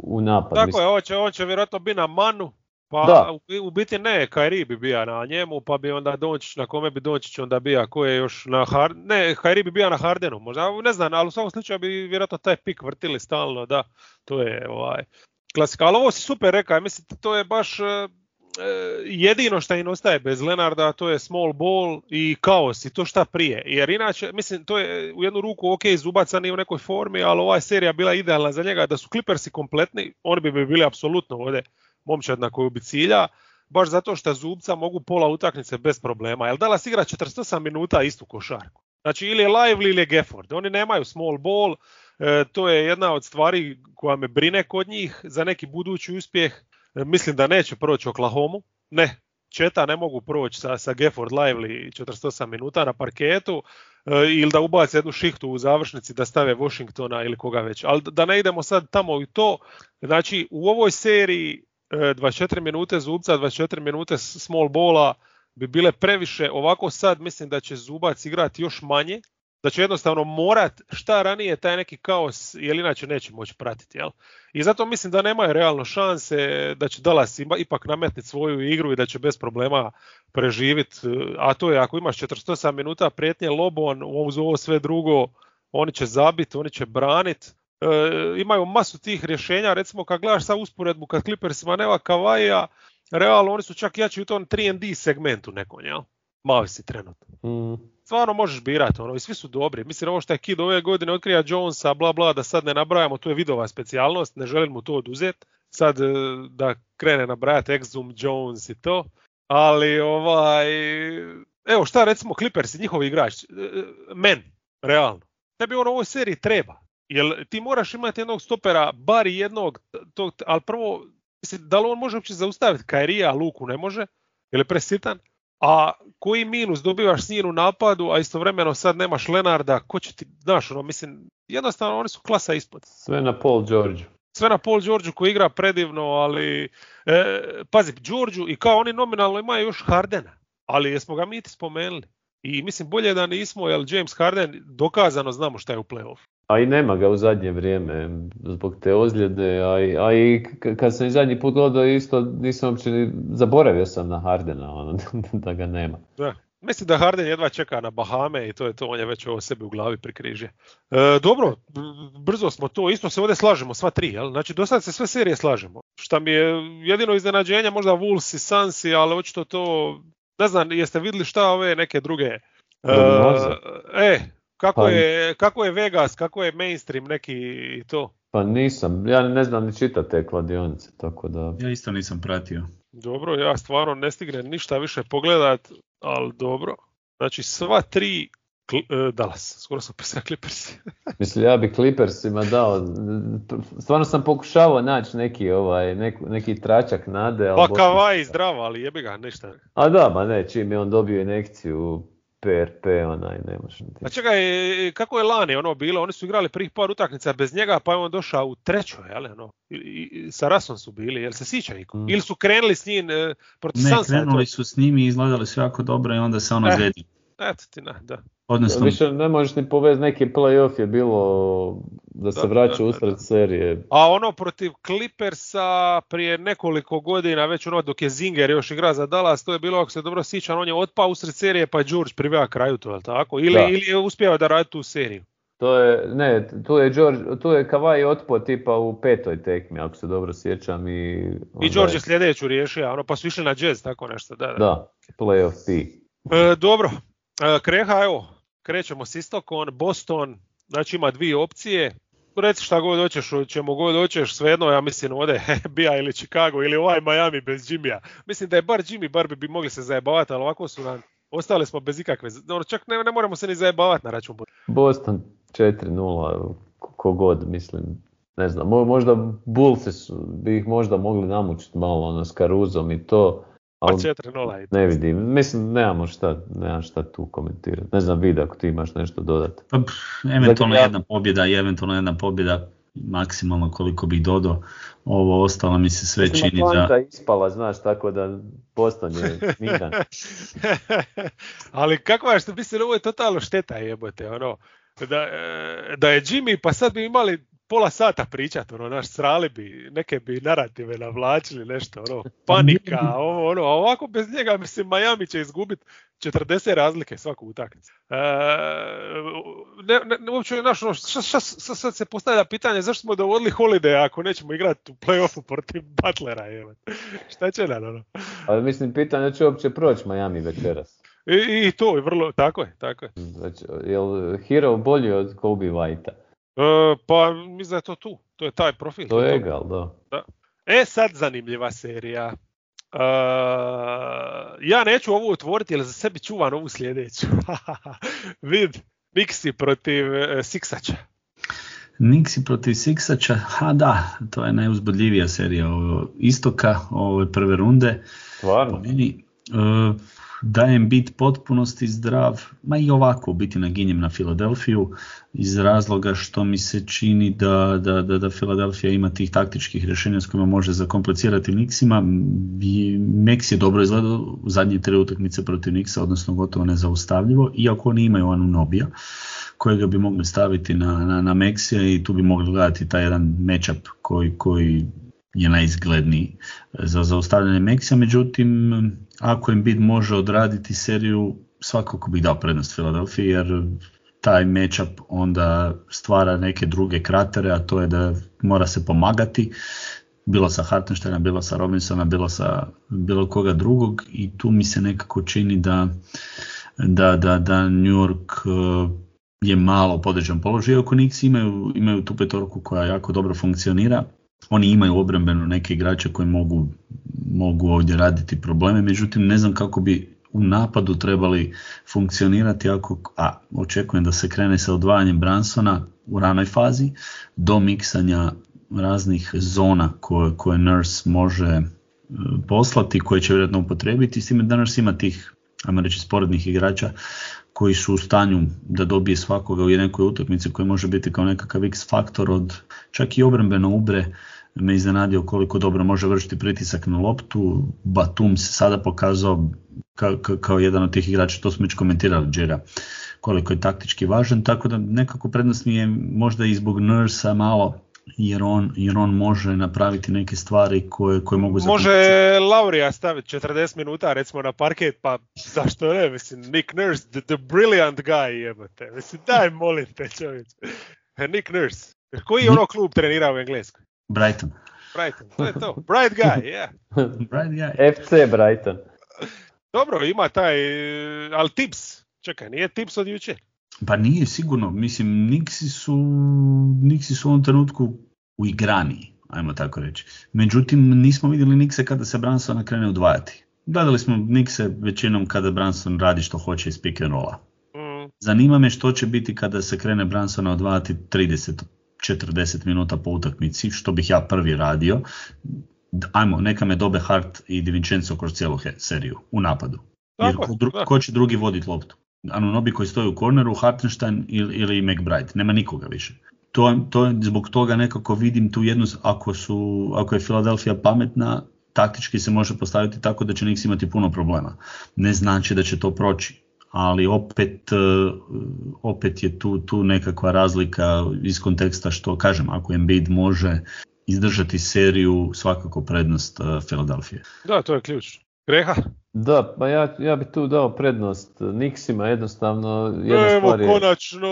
u napad. Tako je, ovo će, ovo će vjerojatno biti na manu. Pa da. U, u biti ne, Kyrie bi bija na njemu, pa bi onda Dončić, na kome bi Dončić onda bija, ko je još na Hardenu, ne, Kyrie bi bija na Hardenu, možda, ne znam, ali u svakom slučaju bi vjerojatno taj pik vrtili stalno, da, to je ovaj, klasika, ali ovo si super rekao, mislim, to je baš e, jedino što im ostaje bez Lenarda, to je small ball i kaos i to šta prije, jer inače, mislim, to je u jednu ruku ok, Zubaca nije u nekoj formi, ali ova serija bila idealna za njega, da su Clippersi kompletni, oni bi bili apsolutno ovdje momčad na koju bi cilja, baš zato što Zubca mogu pola utakmice bez problema. Jel Dallas igra četrdeset osam minuta istu košarku. Znači ili je Lively ili je Gafford. Oni nemaju small ball, e, to je jedna od stvari koja me brine kod njih za neki budući uspjeh. E, mislim da neće proći Oklahomu. Ne, Četa ne mogu proći sa, sa Gafford Lively četrdeset osam minuta na parketu e, ili da ubace jednu šihtu u završnici da stave Washingtona ili koga već. Ali da ne idemo sad tamo i to. Znači u ovoj seriji dvadeset četiri minute Zubca, dvadeset četiri minute small balla bi bile previše. Ovako sad mislim da će Zubac igrati još manje, da će jednostavno morat šta ranije taj neki kaos, jer inače neće moći pratiti. Jel? I zato mislim da nemaju realno šanse da će Dallas ipak nametniti svoju igru i da će bez problema preživjeti. A to je ako imaš četrdeset osam minuta prijetnje lobom, uz ovo sve drugo, oni će zabiti, oni će braniti. E, imaju masu tih rješenja, recimo kad gledaš sa usporedbu kad Clippersima nema Kawhija, realno oni su čak jači u tom tri and D segmentu nekom, jel? Mavi si trenutno. Mm. Stvarno možeš birati, ono, i svi su dobri. Mislim, ovo što je Kid ove godine otkrija Jonesa, bla bla, da sad ne nabrajamo, to je vidova specijalnost, ne želim mu to oduzeti. sad da krene nabrajati Exum, Jones i to, ali ovaj, evo šta recimo Clippers i njihovi igrači, men, realno, tebi on u ovoj seriji treba, jer ti moraš imati jednog stopera, bar jednog, tog, ali prvo, mislim, da li on može uopće zaustaviti Kairija, a Luku ne može, jer je presitan, a koji minus dobivaš s njim u napadu, a istovremeno sad nemaš Lenarda, ko će ti, znaš, ono, mislim, jednostavno oni su klasa ispod. Sve na Paul Georgeu. Sve na Paul Georgeu koji igra predivno, ali e, pazi, Georgeu i kao oni nominalno imaju još Hardena, ali jesmo ga mi ti spomenuli. I mislim bolje da nismo, jer James Harden dokazano znamo šta je u play-off. A i nema ga u zadnje vrijeme zbog te ozljede, a i, a i kad sam i zadnji put gledao isto nisam uopće ni zaboravio sam na Hardena, ono, da ga nema. Da. Mislim da Harden jedva čeka na Bahame i to je to, on je već ovo sebi u glavi prikrižio. E, dobro, brzo smo to, isto se ovdje slažemo, sva tri, jel? Znači do sad se sve serije slažemo. Šta mi je jedino iznenađenje, možda Wolves i Sunsi, ali očito to, ne znam, jeste vidjeli šta ove neke druge... E, e kako, pa, je, kako je Vegas, kako je mainstream neki i to? Pa nisam, ja ne znam ni čitati te kladionice, tako da... Ja isto nisam pratio. Dobro, ja stvarno ne stignem ništa više pogledat, ali dobro. Znači sva tri Kli, uh, Dallas, skoro sam pisao Clippers. Mislim, ja bi Clippersima dao, stvarno sam pokušavao naći neki, ovaj, neki, neki tračak nade. Pa Kawhi zdravo, ali jebi ga, ništa. A da, ma ne, čim je on dobio injekciju P R P, onaj, ne može. A čekaj, kako je lani ono bilo? Oni su igrali prvih par utakmica bez njega, pa je on došao u trećoj, jel? Ono, i, i, sa Rasom su bili, jel se sjeća niko? Mm. Ili su krenuli s njim e, protiv Sansa? Ne, krenuli su s njim i izgledali su jako dobro i onda se ono eh, zedi. Eto ti, na, da. Odnosno, više ne možeš ni povezati, neki play-off je bilo da se da, vraća da, usred da, da. serije. A ono protiv Clippersa prije nekoliko godina, već ono dok je Zinger još igra za Dallas, to je bilo, ako se dobro sjećam, on je otpao usred serije pa je George priveo kraju to, je li tako? Ili, ili je uspio da radi tu seriju? To je, ne, tu je, George, tu je Kawhi otpao tipa u petoj tekmi, ako se dobro sjećam. I, I George je sljedeću riješio, ono, pa su išli na jazz, tako nešto. Da, da. da play-off P. E, dobro, e, Kreha, evo, krećemo s istokom, Boston, znači ima dvije opcije, reci šta god hoćeš, ćemo god hoćeš, svejedno, ja mislim ovdje bija ili Chicago ili ovaj Miami bez Jimmya. Mislim da je bar Jimmy, bar bi, bi mogli se zajebavati, ali ovako su nam, ostali smo bez ikakve, čak ne, ne moramo se ni zajebavati na račun. Boston četiri nula, kogod, mislim, ne znam, možda Bullsi su, bi ih možda mogli namučiti malo ono, s Caruzom i to. Pa četiri nula i to. Ne vidim, mislim, nemamo šta, nemam šta tu komentirati. Ne znam, vidi ako ti imaš nešto dodati. Pa, eventualno jedna pobjeda i eventualno jedna pobjeda, maksimalno koliko bih dodao. Ovo ostalo mi se sve mislim, čini da... Atlanta ispala, znaš, tako da Boston je miran. Ali kakva je što mislim, ovo je totalno šteta jebote, ono, da, da je Jimmy, pa sad bi imali pola sata pričati, ono, naš srali bi, neke bi narative navlačili, nešto, ono, panika, ovo, ono, a ovako bez njega, mislim, Miami će izgubiti četrdeset razlike svaku utakmicu. E, ne, ne, uopće, naš, ono, sad se postavlja pitanje, zašto smo dovodili Holiday ako nećemo igrati u play-offu protiv Butlera, evo. Šta će nam, ono? Ali mislim, pitanje će uopće proći Miami večeras. I, i to je vrlo, tako je, tako je. Znači, je li Hero bolji od Kobe Whitea? E, pa mislim da je to tu, to je taj profil. To je egal, da. da. E sad zanimljiva serija. Uh, ja neću ovu otvoriti jer za sebi čuvam ovu sljedeću. Vid, Nixi protiv uh, Siksača. Nixi protiv Siksača, ha da, to je najuzbudljivija serija ovo, istoka ove prve runde. Stvarno? Meni, uh, dajem bit potpunosti zdrav, ma i ovako biti naginjem na Filadelfiju iz razloga što mi se čini da, da, da, da Filadelfija ima tih taktičkih rješenja s kojima može zakomplicirati Knicksima. Knicks je dobro izgledao u zadnje tri utakmice protiv Knicksa, odnosno gotovo nezaustavljivo, iako oni imaju Anunobija kojega bi mogli staviti na, na, na Maxija i tu bi mogli gledati taj jedan matchup koji, koji je najizgledniji za zaustavljanje Maxija, međutim ako Embiid može odraditi seriju, svakako bih dao prednost Filadelfiji, jer taj matchup onda stvara neke druge kratere, a to je da mora se pomagati, bilo sa Hartensteina, bilo sa Robinsona, bilo sa bilo koga drugog, i tu mi se nekako čini da, da, da, da New York je malo podređen položaj, iako Knicks imaju, imaju tu petorku koja jako dobro funkcionira. oni imaju obrambeno neke igrače koji mogu, mogu ovdje raditi probleme, međutim ne znam kako bi u napadu trebali funkcionirati ako, a očekujem da se krene sa odvajanjem Brunsona u ranoj fazi do miksanja raznih zona koje, koje Nurse može poslati, koje će vjerojatno upotrijebiti, s time da Nurse ima tih, ajmo reći, sporednih igrača koji su u stanju da dobije svakoga u nekoj utakmici koji može biti kao nekakav X faktor od čak i obrambeno Ubre me iznenadio koliko dobro može vršiti pritisak na loptu. Batum se sada pokazao ka, ka, kao jedan od tih igrača, to smo već komentirali Džera, koliko je taktički važan, tako da nekako prednost mi je možda i zbog Nursa malo, jer on, jer on može napraviti neke stvari koje, koje mogu zaključiti. Može Laurija staviti četrdeset minuta recimo na parket, pa zašto ne, mislim, Nick Nurse, the, the brilliant guy, jebate, mislim, daj molim te čovječ. Nick Nurse, koji je ono klub trenirao u Engleskoj? Brighton. Brighton, to je to, bright guy, yeah. Bright guy. F C Brighton. Dobro, ima taj, ali tips, čekaj, nije tips od jučer. Pa nije sigurno, mislim, Nixi su, Nixi su u ovom trenutku uigraniji, ajmo tako reći. Međutim, nismo vidjeli Nixe kada se Brunsona krene odvajati. Gledali smo Nixe većinom kada Brunson radi što hoće iz pick and rolla. Mm. Zanima me što će biti kada se krene Brunsona odvajati trideset do četrdeset minuta po utakmici, što bih ja prvi radio. Ajmo, neka me dobe Hart i Di Vincenzo kroz cijelu he- seriju u napadu. Jer ko, dru- ko će drugi voditi loptu? Anunobi koji stoji u korneru, Hartenstein ili, ili McBride, nema nikoga više. To, to zbog toga nekako vidim tu jednu, ako, su, ako je Philadelphia pametna, taktički se može postaviti tako da će Knicks imati puno problema. Ne znači da će to proći, ali opet, opet je tu, tu nekakva razlika iz konteksta što kažem, ako Embiid može izdržati seriju, svakako prednost Philadelphia. Da, to je ključ. Greha? Da, pa ja, ja bih tu dao prednost Knicksima, jednostavno jedna Evo, stvar je, konačno!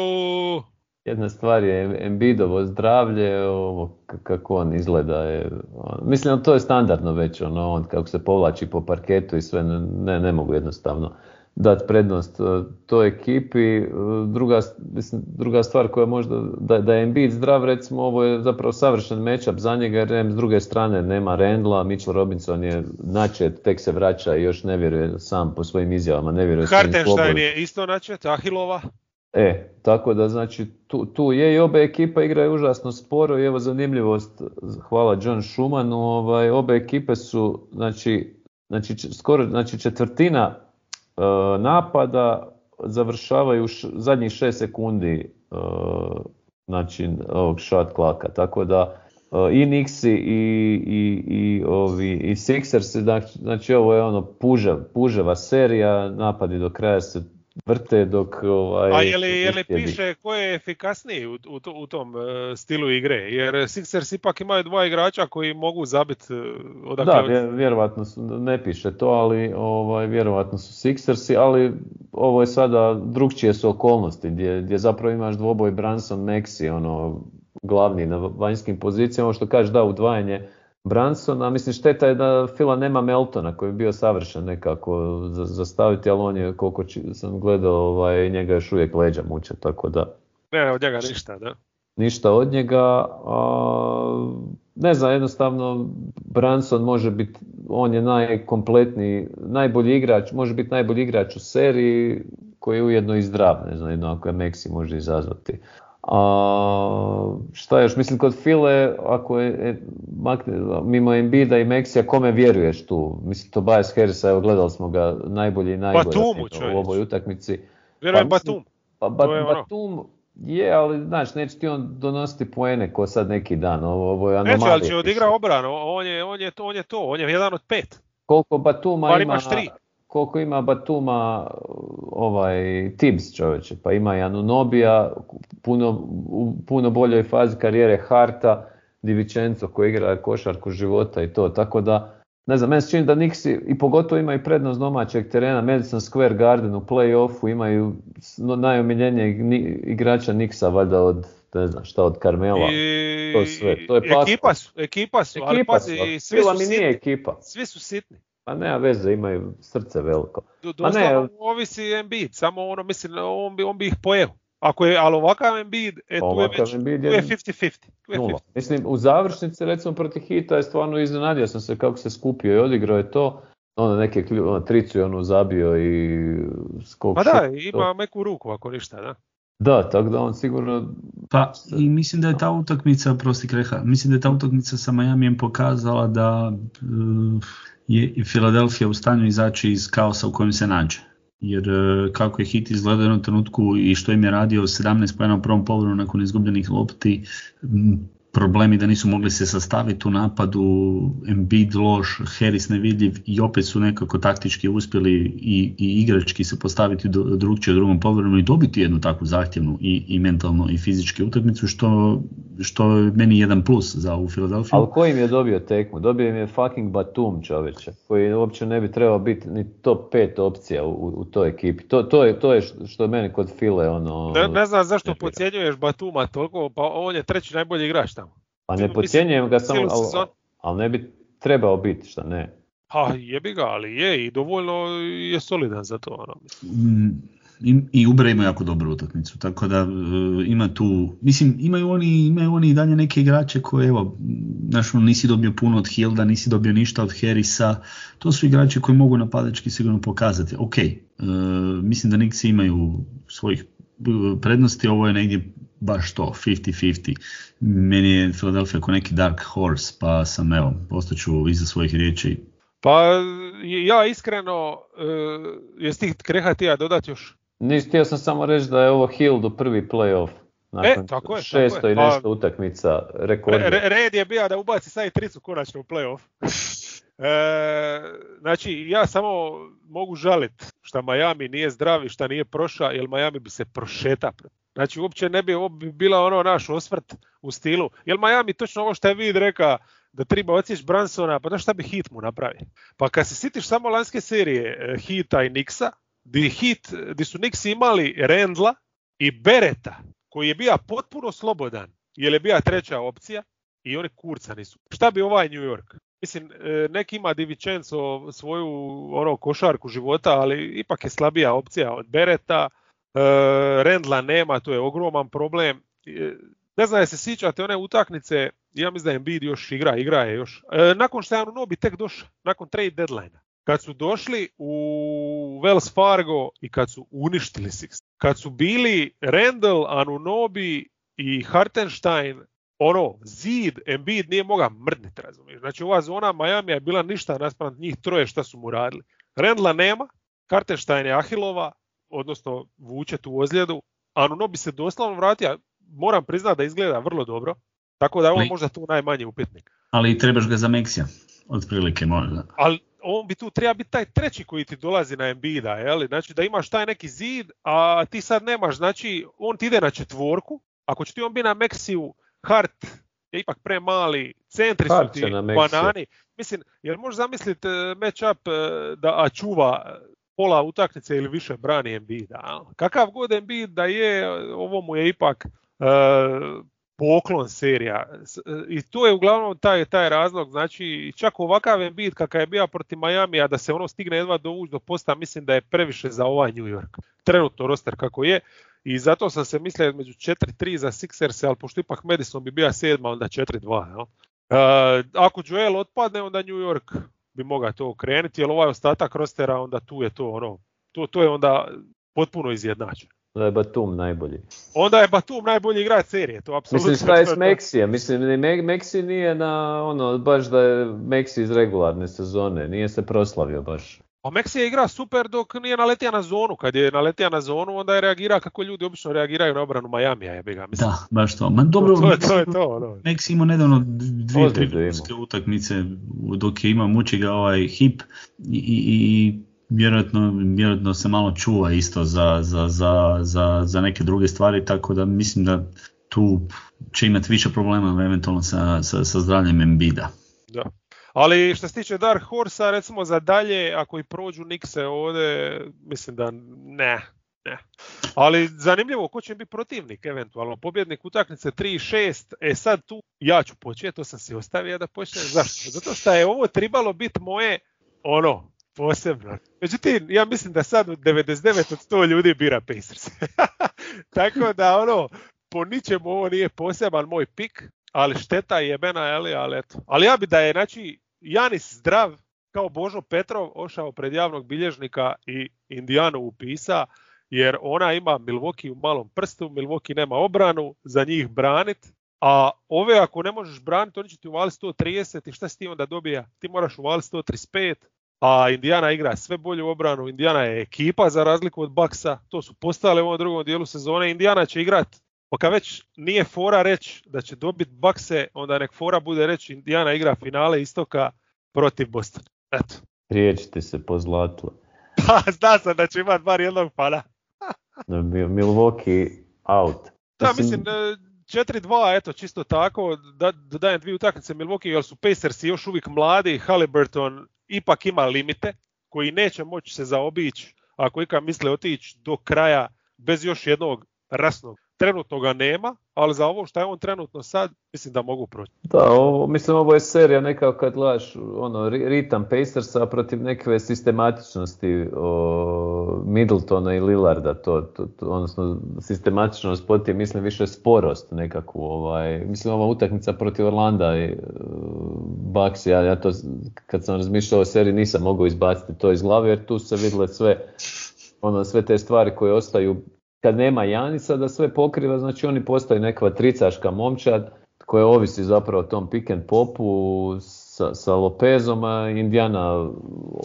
Jedna stvar je Embiidovo zdravlje, ovo kako on izgleda je, on, mislim to je standardno već, ono, on kako se povlači po parketu i sve, ne, ne mogu jednostavno dati prednost toj ekipi. Druga, mislim, druga stvar koja možda, da, da je Embiid zdrav, recimo ovo je zapravo savršen matchup za njega, jer s druge strane nema Randla, Mitchell Robinson je načet, tek se vraća i još ne vjeruje sam po svojim izjavama, ne vjeruje svojim slobodom. Hartenstein je isto načet, Ahilova. E, tako da znači tu, tu je i obe ekipa igraju užasno sporo i evo zanimljivost, hvala John Schumanu, ovaj, obe ekipe su znači, znači skoro znači četvrtina napada završavaju š, zadnjih šest sekundi uh, znači ovog shot clocka, tako da uh, i Knicksi i, i, i, ovi, i Sixersi, znači ovo je ono pužev, puževa serija, napadi do kraja se vrte dok ovaj... A je li, je li piše ko je efikasniji u, u, u tom uh, stilu igre? Jer Sixers ipak imaju dva igrača koji mogu zabiti uh, odakle... Da, vjer, vjerovatno su, ne piše to, ali ovaj, vjerovatno su Sixersi, ali ovo je sada drugčije su okolnosti gdje, gdje zapravo imaš dvoboj Brunson, Maxey, ono, glavni na vanjskim pozicijama, ovo što kažeš da, udvajanje Brunsona, mislim šteta je da Fila nema Meltona koji je bio savršen nekako za, za staviti, ali on je, koliko či, sam gledao, ovaj, njega još uvijek leđa muče, tako da... Ne, od njega ništa, da? Ništa od njega, a, ne znam, jednostavno Brunson može biti, on je najkompletniji, najbolji igrač, može biti najbolji igrač u seriji koji je ujedno i zdrav, ne znam, jedno ako je Maxey može izazvati. A, šta još, mislim kod File, ako je makne, mimo Embiida i Maxija, kome vjeruješ tu? Mislim Tobias Harrisa, evo gledali smo ga najbolji i najbolji u ovoj utakmici. Vjerujem pa, Batum. Pa, ba, Batum ono. Je, ali znaš, neće ti on donositi poene ko sad neki dan, ovo, ovo je anomalija. Neće, ali će odigra obranu, on je, on, je to, on je to, on je jedan od pet. Koliko Batuma Bar ima... Koliko ima Batuma ovaj Tibbs čovječe, pa ima i Anunobija, puno, u puno boljoj fazi karijere Harta, Di Vincenzo koji igra košarku života i to, tako da, ne znam, meni se čini da Knicksi i pogotovo imaju prednost domaćeg terena, Madison Square Garden u play-offu, imaju najomiljenijeg igrača Knicksa, valjda od, ne znam šta, od Carmela, I, to sve, to je ekipa su, ekipa su, ekipa ali pazi, su, svi su mi nije ekipa. Svi su sitni. Pa nema veze, imaju srce veliko. Doslovno ovisi Embiid, samo ono mislim, on bi, on bi ih pojeo. Ako je, ali ovakav Embiid, e, tu je Ovakav već Embiid tu je je fifty fifty. Tu je nula. fifty. Mislim, u završnici recimo protiv Hita je stvarno iznenadio sam se kako se skupio i odigrao je to. Ono neke klju, ono, tricu je ono zabio i skok Pa šut, da, to. ima meku ruku ako ništa, da. Da, tako da on sigurno... Pa i mislim da je ta utakmica, prosti Kreha, mislim da je ta utakmica sa Miamijem pokazala da uh, je Philadelphia u stanju izaći iz kaosa u kojem se nađe. Jer uh, kako je Hit izgledao u jednom trenutku i što im je radio sedamnaest poena u prvom poluvremenu nakon izgubljenih lopti, m, problemi da nisu mogli se sastaviti u napadu, Embiid loš, Harris nevidljiv i opet su nekako taktički uspjeli i, i igrački se postaviti do, drugčije u drugom poluvremenu i dobiti jednu takvu zahtjevnu i, i mentalno i fizički utakmicu što, što je meni jedan plus za ovu Filadelfiju. Ali ko im je dobio tekmu? Dobio im je fucking Batum, čoveče, koji uopće ne bi trebao biti ni top pet opcija u, u toj ekipi. To, to, je, to je što je meni kod File ono... Ne, ne znam zašto podcjenjuješ Batuma toliko, pa on je treći najbolji igrač tamo. Pa ne podcjenjujem ga samo, ali, sezon... ali ne bi trebao biti, šta ne? Pa jebi ga, ali je i dovoljno je solidan za to. Ono. Mm, i, i Ubre ima jako dobru utakmicu, tako da uh, ima tu, mislim imaju oni, imaju oni i dalje neke igrače koje, evo, znaš, nisi dobio puno od Hilda, nisi dobio ništa od Harrisa, to su igrači koji mogu napadački sigurno pokazati. Ok, uh, mislim da Knicksi imaju svojih prednosti, ovo je negdje baš to, fifty fifty. Meni je Philadelphia kao neki dark horse, pa sam, evo, ostaću iza svojih riječi. Pa ja iskreno, uh, jesi ti Kreha ti ja dodati još? Nis, htio sam samo reći da je ovo Hildu prvi playoff. Nakon e, tako je, šesto tako je. i nešto pa, utakmica, rekord. Re, red je bio da ubaci sad i tricu konačno u playoff. E, znači, ja samo mogu žaliti što Miami nije zdrav i što nije prošao, jer Miami bi se prošeta. Znači, uopće ne bi, bi bila ono naš osvrt u stilu. Jer Miami točno ovo što je vid reka da treba odsjeći Bransona, pa da šta bi Heat mu napravi. Pa kad se sitiš samo lanjske serije Heata i Knicksa, di, Heat, di su Knicksi imali Randla i Bereta, koji je bio potpuno slobodan, jer je bila treća opcija i oni kurca nisu. Šta bi ovaj New York? Mislim, neki ima Di Vincenzo svoju ono, košarku života, ali ipak je slabija opcija od Bereta. E, Randla nema, to je ogroman problem. E, ne znam, se sjećate one utakmice, ja mislim da Embiid još igra, igra je još. E, nakon što je Anunoby tek došao, nakon trade deadline, kad su došli u Wells Fargo i kad su uništili Six, kad su bili Randall, Anunoby i Hartenstein, ono, zid, Embiid nije mogao mrdniti, razumiješ. Znači ova zona Miami je bila ništa naspram njih troje šta su mu radili. Randla nema, Hartenstein je Ahilova, odnosno vuče tu ozljedu, Anunoby se doslovno vratio, moram priznati da izgleda vrlo dobro, tako da je on možda tu najmanji upitnik. Ali trebaš ga za Meksija, otprilike možda. Ali on bi tu treba biti taj treći koji ti dolazi na Embiida, jel? Znači da imaš taj neki zid, a ti sad nemaš, znači on ti ide na četvorku, ako će ti on biti na Meksiju, Hart je ipak premali, centri su ti banani. Mislim, jer možeš zamisliti match-up da čuva pola utakmice ili više brani Embiida. Kakav god Embiid da je, ovo mu je ipak uh, poklon serija. I to je uglavnom taj, taj razlog. Znači, čak ovakav Embiid kakav je bio protiv Miamija, da se ono stigne jedva dovući do posta, mislim da je previše za ovaj New York. Trenutno roster kako je. I zato sam se mislio između četiri tri za Sixers, ali pošto ipak Madison bi bio sedma, onda četiri dva. Uh, ako Joel otpadne, onda New York bi mogao to okrenuti, jer ovaj ostatak rostera, onda tu je to ono, to, to je onda potpuno izjednačeno. Da je Batum najbolji. Onda je Batum najbolji igrač serije, to apsolutno. Mislim, šta je s Meksija? Mislim, Meksi nije na, ono, baš da je Meksi iz regularne sezone, nije se proslavio baš. A Meksija igra super dok nije naletio na zonu. Kad je naletio na zonu, onda je reagira kako ljudi obično reagiraju na obranu Majamija. Ja ga, da, baš to. Ma dobro, to, to, to je to. No. Meksi ima nedavno dvije, tri ljudske utakmice dok je ima muči ga ovaj hip i, i, i vjerojatno, vjerojatno se malo čuva isto za, za, za, za, za neke druge stvari, tako da mislim da tu će imati više problema eventualno sa, sa, sa zdravljem Embida. Da. Ali što se tiče Dark Horsa, recimo za dalje, ako i prođu Knickse ovdje, mislim da ne, ne. Ali zanimljivo, ko će biti protivnik eventualno, pobjednik utakmice tri šest, e sad tu ja ću početi, to sam si ostavio da počnem. Zašto? Zato što je ovo trebalo biti moje, ono, posebno. Međutim, ja mislim da sad devedeset devet od sto ljudi bira Pacers. Tako da ono, po ničemu ovo nije poseban moj pik, ali šteta je jebena, ali, ali eto. Ali ja bi da je, znači, Janis zdrav kao Božo Petrov ošao pred javnog bilježnika i Indijanu upisa, jer ona ima Milwaukee u malom prstu, Milwaukee nema obranu, za njih branit, a ove ako ne možeš braniti, oni će ti uvaliti sto trideset i šta si ti onda dobija? Ti moraš uvaliti sto trideset pet, a Indijana igra sve bolju obranu, Indijana je ekipa za razliku od Bucksa, to su postale u ovom drugom dijelu sezone, Indijana će igrati, pa kad već nije fora reći da će dobiti Buckse, onda nek fora bude reći Indijana igra finale istoka protiv Bostona. Eto. Riječiti se po zlatu. Pa zna sam da će imati bar jednog fana. Milwaukee out. Da, mislim, četiri dva, eto, čisto tako, da, dodajem dvije utakmice Milwaukee, jer su Pacersi još uvijek mladi, Haliburton ipak ima limite, koji neće moći se zaobići, ako ikad misle otići do kraja bez još jednog rasnog. Trenutno ga nema, ali za ovo što je on trenutno sad, mislim da mogu proći. Da, ovo, mislim ovo je serija nekako kad gledaš ono, ritam Pacersa protiv neke sistematičnosti o, Middletona i Lillarda, to, to, to, odnosno sistematičnost protiv, mislim više sporost nekakvu. Ovaj, mislim ova utakmica protiv Orlanda i uh, Bucks, ja, ja to kad sam razmišljao o seriji nisam mogao izbaciti to iz glave jer tu se vidjele sve, ono, sve te stvari koje ostaju kad nema Janisa da sve pokriva, znači oni postaju neka tricaška momčad koja ovisi zapravo o tom pick and popu sa, sa Lopezom, a Indijana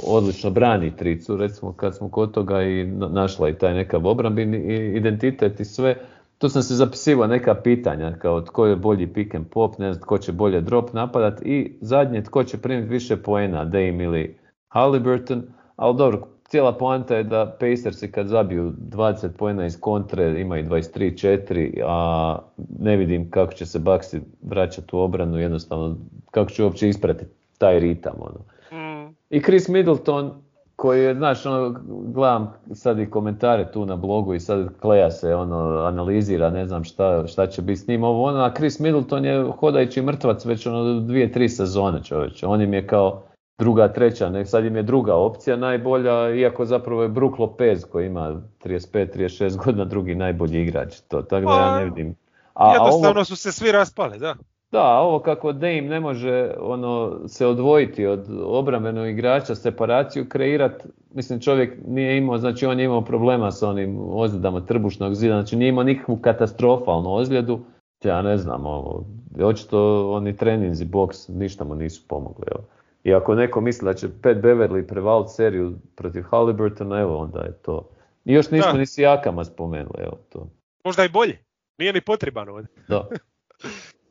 odlično brani tricu, recimo kad smo kod toga i našla i taj nekav obrambeni identitet i sve. Tu sam se zapisivao neka pitanja kao tko je bolji pick and pop, ne znam tko će bolje drop napadat i zadnje tko će primiti više poena, Dame ili Haliburton, ali dobro, cijela poanta je da Pacersi kad zabiju dvadeset poena iz kontre imaju dvadeset tri četiri, a ne vidim kako će se Bucksi vraćati u obranu, jednostavno kako će uopće ispratiti taj ritam. Ono. Mm. I Chris Middleton koji je, znaš, ono, gledam sad i komentare tu na blogu i sad Kleja se ono, analizira, ne znam šta, šta će biti s njim, ovo ono, a Chris Middleton je hodajući mrtvac već ono dvije, tri sezone čovječe, on im je kao druga, treća, ne, sad im je druga opcija najbolja, iako zapravo je Brook Lopez koji ima trideset pet trideset šest godina drugi najbolji igrač, to, tako da ja ne vidim. A, jednostavno a ovo, su se svi raspali, da. Da, ovo kako Dame ne može ono, se odvojiti od obrambenog igrača, separaciju kreirati, mislim čovjek nije imao, znači on je imao problema sa onim ozljedama trbušnog zida, znači nije imao nikakvu katastrofalnu ozljedu, ja ne znam, ovo, očito oni treninzi, boks, ništa mu nisu pomogli, evo. I ako neko misli da će Pat Beverly prevaliti seriju protiv Haliburtona, evo onda je to. I još nismo da. Ni Sijakama spomenuli, evo to. Možda i bolje, nije ni potreban ovdje. Da.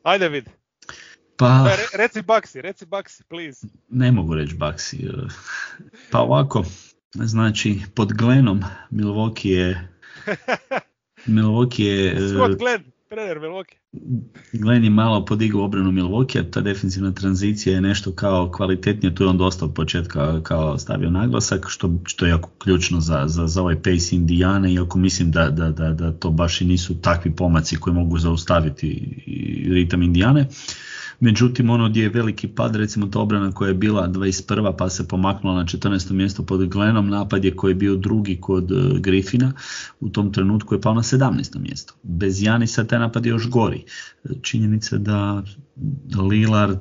Ajde vidi. Pa, Re, reci Bucksi, reci Bucksi, please. Ne mogu reći Bucksi. Pa ovako, znači pod Glennom Milwaukee je... Milwaukee je... Scott Glenn, trener Milwaukee. Glenn je malo podigao obranu Milwaukee, ta defensivna tranzicija je nešto kao kvalitetnije, tu je on dosta od početka kao stavio naglasak, što, što je jako ključno za, za, za ovaj pace Indijane, iako mislim da, da, da, da to baš i nisu takvi pomaci koji mogu zaustaviti ritam Indijane. Međutim, ono gdje je veliki pad, recimo ta obrana koja je bila dvadeset prva pa se pomaknula na četrnaesto mjesto pod Glennom, napad je koji je bio drugi kod uh, Griffina, u tom trenutku je pao na sedamnaesto mjesto. Bez Janisa taj napad je još gori. Činjenica da Lillard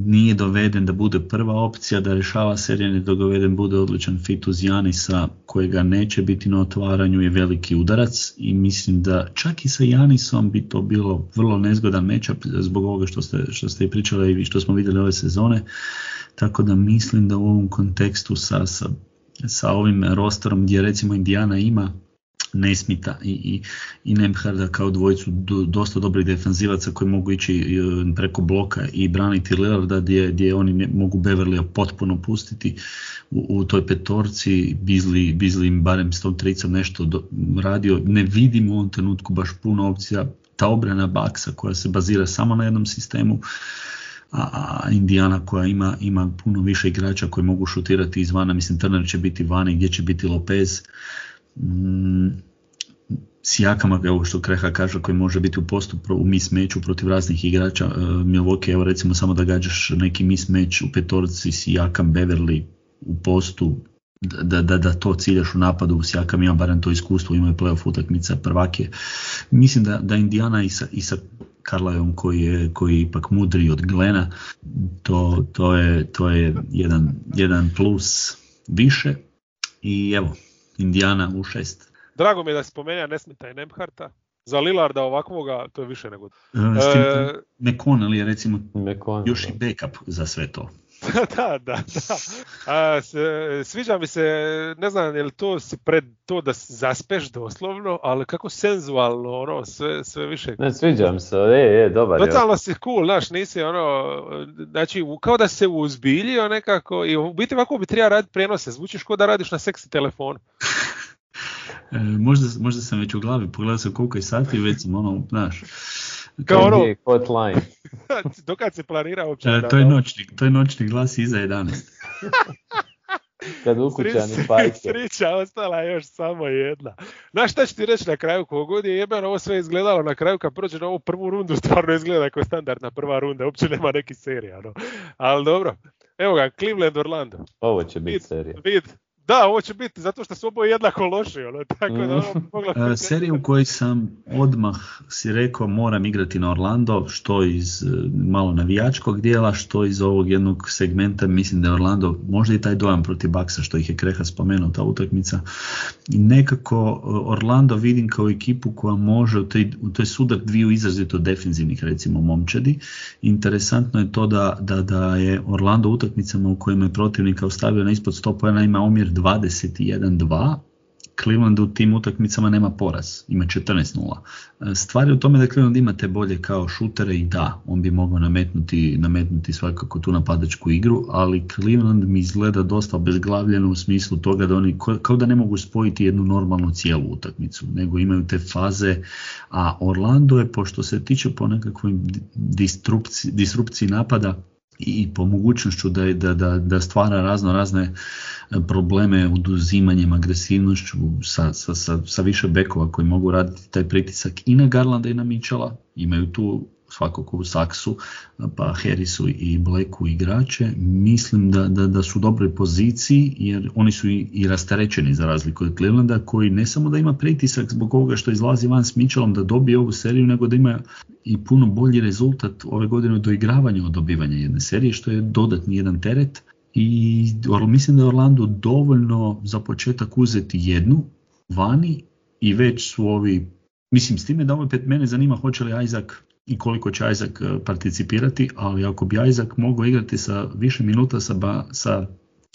nije doveden da bude prva opcija, da rješava serije, ne doveden bude odličan fit uz Janisa kojega neće biti na otvaranju, je veliki udarac i mislim da čak i sa Janisom bi to bilo vrlo nezgodan matchup zbog ovoga što ste, što ste i pričali i što smo vidjeli ove sezone, tako da mislim da u ovom kontekstu sa, sa, sa ovim rosterom gdje recimo Indijana ima Nesmita i, i, i Nemharda kao dvojicu do, dosta dobrih defanzivaca koji mogu ići preko bloka i braniti Lillarda gdje, gdje oni ne, mogu Beverlya potpuno pustiti u, u toj petorci. Beasley, Beasley im barem s tom tricom nešto do, radio. Ne vidim u ovom trenutku baš puno opcija. Ta obrana Bucksa koja se bazira samo na jednom sistemu, a, a Indijana koja ima, ima puno više igrača koji mogu šutirati izvana. Mislim Turner će biti vani, gdje će biti Lopez. Mm, Sijakama, evo što Kreha kaže, koji može biti u postu u mismatchu protiv raznih igrača uh, Milwaukee, evo recimo samo da gađaš neki mismatch u petorci Sijakam, Beverly u postu, da, da, da to ciljaš u napadu. Siakam ima barem to iskustvo, imaju playoff utakmica, prvak je. Mislim da, da Indiana i sa, i sa Carlisleom koji je, koji je ipak mudriji od Glena, to, to je, to je jedan, jedan plus više i evo, Indiana u šest. Drago mi je da si spomenuo Nesmita i Nembharta. Za Lillarda ovakvoga to je više nego... S tim, e... McConnell je recimo McConnell, još i backup za sve to. da, da, da. A, s, sviđa mi se, ne znam je li to si pred to da zaspeš doslovno, ali kako senzualno, ono, sve, sve više. Ne, sviđam se, je, je, dobar je. Totalno si cool, znaš, nisi ono, znači, kao da se uzbiljio nekako i u biti ovako bi treba raditi prijenose, zvučiš kao da radiš na seksi telefonu. E, možda, možda sam već u glavi, pogledao sam koliko je sati, već sam ono, znaš. Kao ono, hotline. dokad se planira uopće? E, to, je noćni, to je noćni glas iza jedanaest. Kad ukućani pajke. Srića, ostala je još samo jedna. Znaš šta ću ti reći na kraju, kogod je jebeno ovo sve izgledalo na kraju kad prođe na ovu prvu rundu, stvarno izgleda kao standardna prva runda, uopće nema neki serija. No. Ali dobro, evo ga, Cleveland Orlando. Ovo će biti serija. Vid. Da, ovo će biti zato što su oboje jednako loši. Ono, tako da ovo mogla... Serija u kojoj sam odmah si rekao moram igrati na Orlando, što iz malo navijačkog dijela, što iz ovog jednog segmenta, mislim da je Orlando, možda i taj dojam protiv Bucksa što ih je Kreha spomenuo, ta utakmica. Nekako Orlando vidim kao ekipu koja može u toj, u toj sudar dviju izrazito defenzivnih recimo momčadi. Interesantno je to da, da, da je Orlando u utakmicama u kojima je protivnika ostavio na ispod sto poena ima omjer dvadeset jedan dva, Cleveland u tim utakmicama nema poraz, ima četrnaest nula. Stvar je u tome da Cleveland ima te bolje kao šutere i da, on bi mogao nametnuti, nametnuti svakako tu napadačku igru, ali Cleveland mi izgleda dosta obezglavljeno u smislu toga da oni kao da ne mogu spojiti jednu normalnu cijelu utakmicu, nego imaju te faze, a Orlando je, pošto se tiče po nekakvoj disrupciji, disrupciji napada, i po mogućnošću da, da, da, da stvara razno razne probleme oduzimanjem, agresivnošću sa, sa, sa, sa više bekova koji mogu raditi taj pritisak i na Garlanda i na Mitchella. Imaju tu svakako u Saksu, pa Harrisu i Blacku igrače. Mislim da, da, da su u dobroj poziciji jer oni su i, i rasterećeni za razliku od Clevelanda koji ne samo da ima pritisak zbog ovoga što izlazi van s Mitchellom da dobije ovu seriju, nego da ima i puno bolji rezultat ove godine u doigravanju od dobivanja jedne serije, što je dodatni jedan teret. I mislim da je Orlando dovoljno za početak uzeti jednu vani i već su ovi, mislim s time da ovo pet mene zanima hoće li Isaac i koliko će Isaac participirati, ali ako bi Isaac mogao igrati sa više minuta sa, ba, sa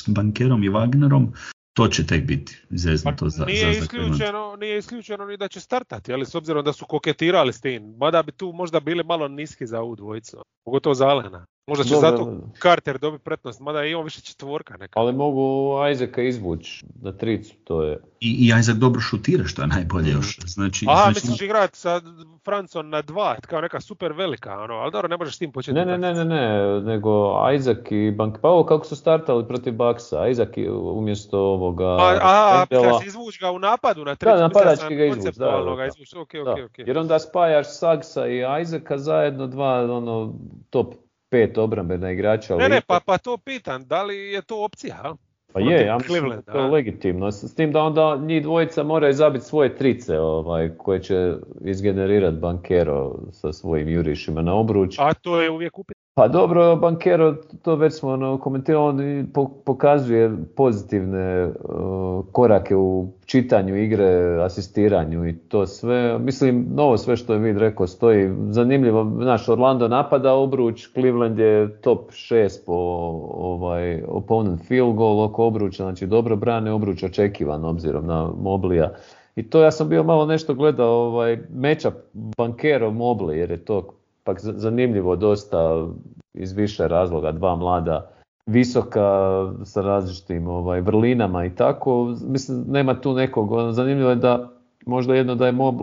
Bankerom i Wagnerom, to će tek biti zeznuto za, nije za isključeno, nije isključeno ni da će startati, ali s obzirom da su koketirali s tim, mada bi tu možda bili malo niski za ovu dvojicu, pogotovo za Alena. Možda će Dobre, zato Carter dobiti pretnost, mada i on više četvorka neka. Ali mogu Isaaca izvući na tricu, to je... I, i Isaac dobro šutira, što je najbolje još. Znači, Aha, znači... misliš igrati sa Francom na dva, kao neka super velika, ono, ali dobro, ne možeš s tim početi. Ne, ne, ne, ne, ne, nego Isaac i Bank... Pa ovo kako su startali protiv Bucksa, Isaac umjesto ovoga... A, aha, da se izvući ga u napadu na tricu. Da, napadački ga izvući, da, da, da. Izvući. Okay, okay, okay. Jer onda spajaš Sagsa i Isaaca zajedno dva, ono, top pet obrambena igrača. Ne, ne, pa, pa to pitan, da li je to opcija, a? Pa je, ja mislim da to je legitimno. S tim da onda njih dvojica moraju zabiti svoje trice ovaj, koje će izgenerirati Bankero sa svojim jurišima na obruč. A to je uvijek upit. Pa dobro, Bankero, to već smo ono, komentirali, on pokazuje pozitivne uh, korake u čitanju igre, asistiranju i to sve. Mislim, novo sve što je Vid rekao stoji. Zanimljivo, naš Orlando napada obruč, Cleveland je top šest po ovaj, opponent field goal oko obruča, znači dobro brane obruč očekivan obzirom na Moblija. I to ja sam bio malo nešto gledao ovaj, matchup Bankero Mobley jer je to pak zanimljivo dosta iz više razloga, dva mlada, visoka sa različitim ovaj, vrlinama i tako. Mislim, nema tu nekog, zanimljivo je da možda jedno da je Mob,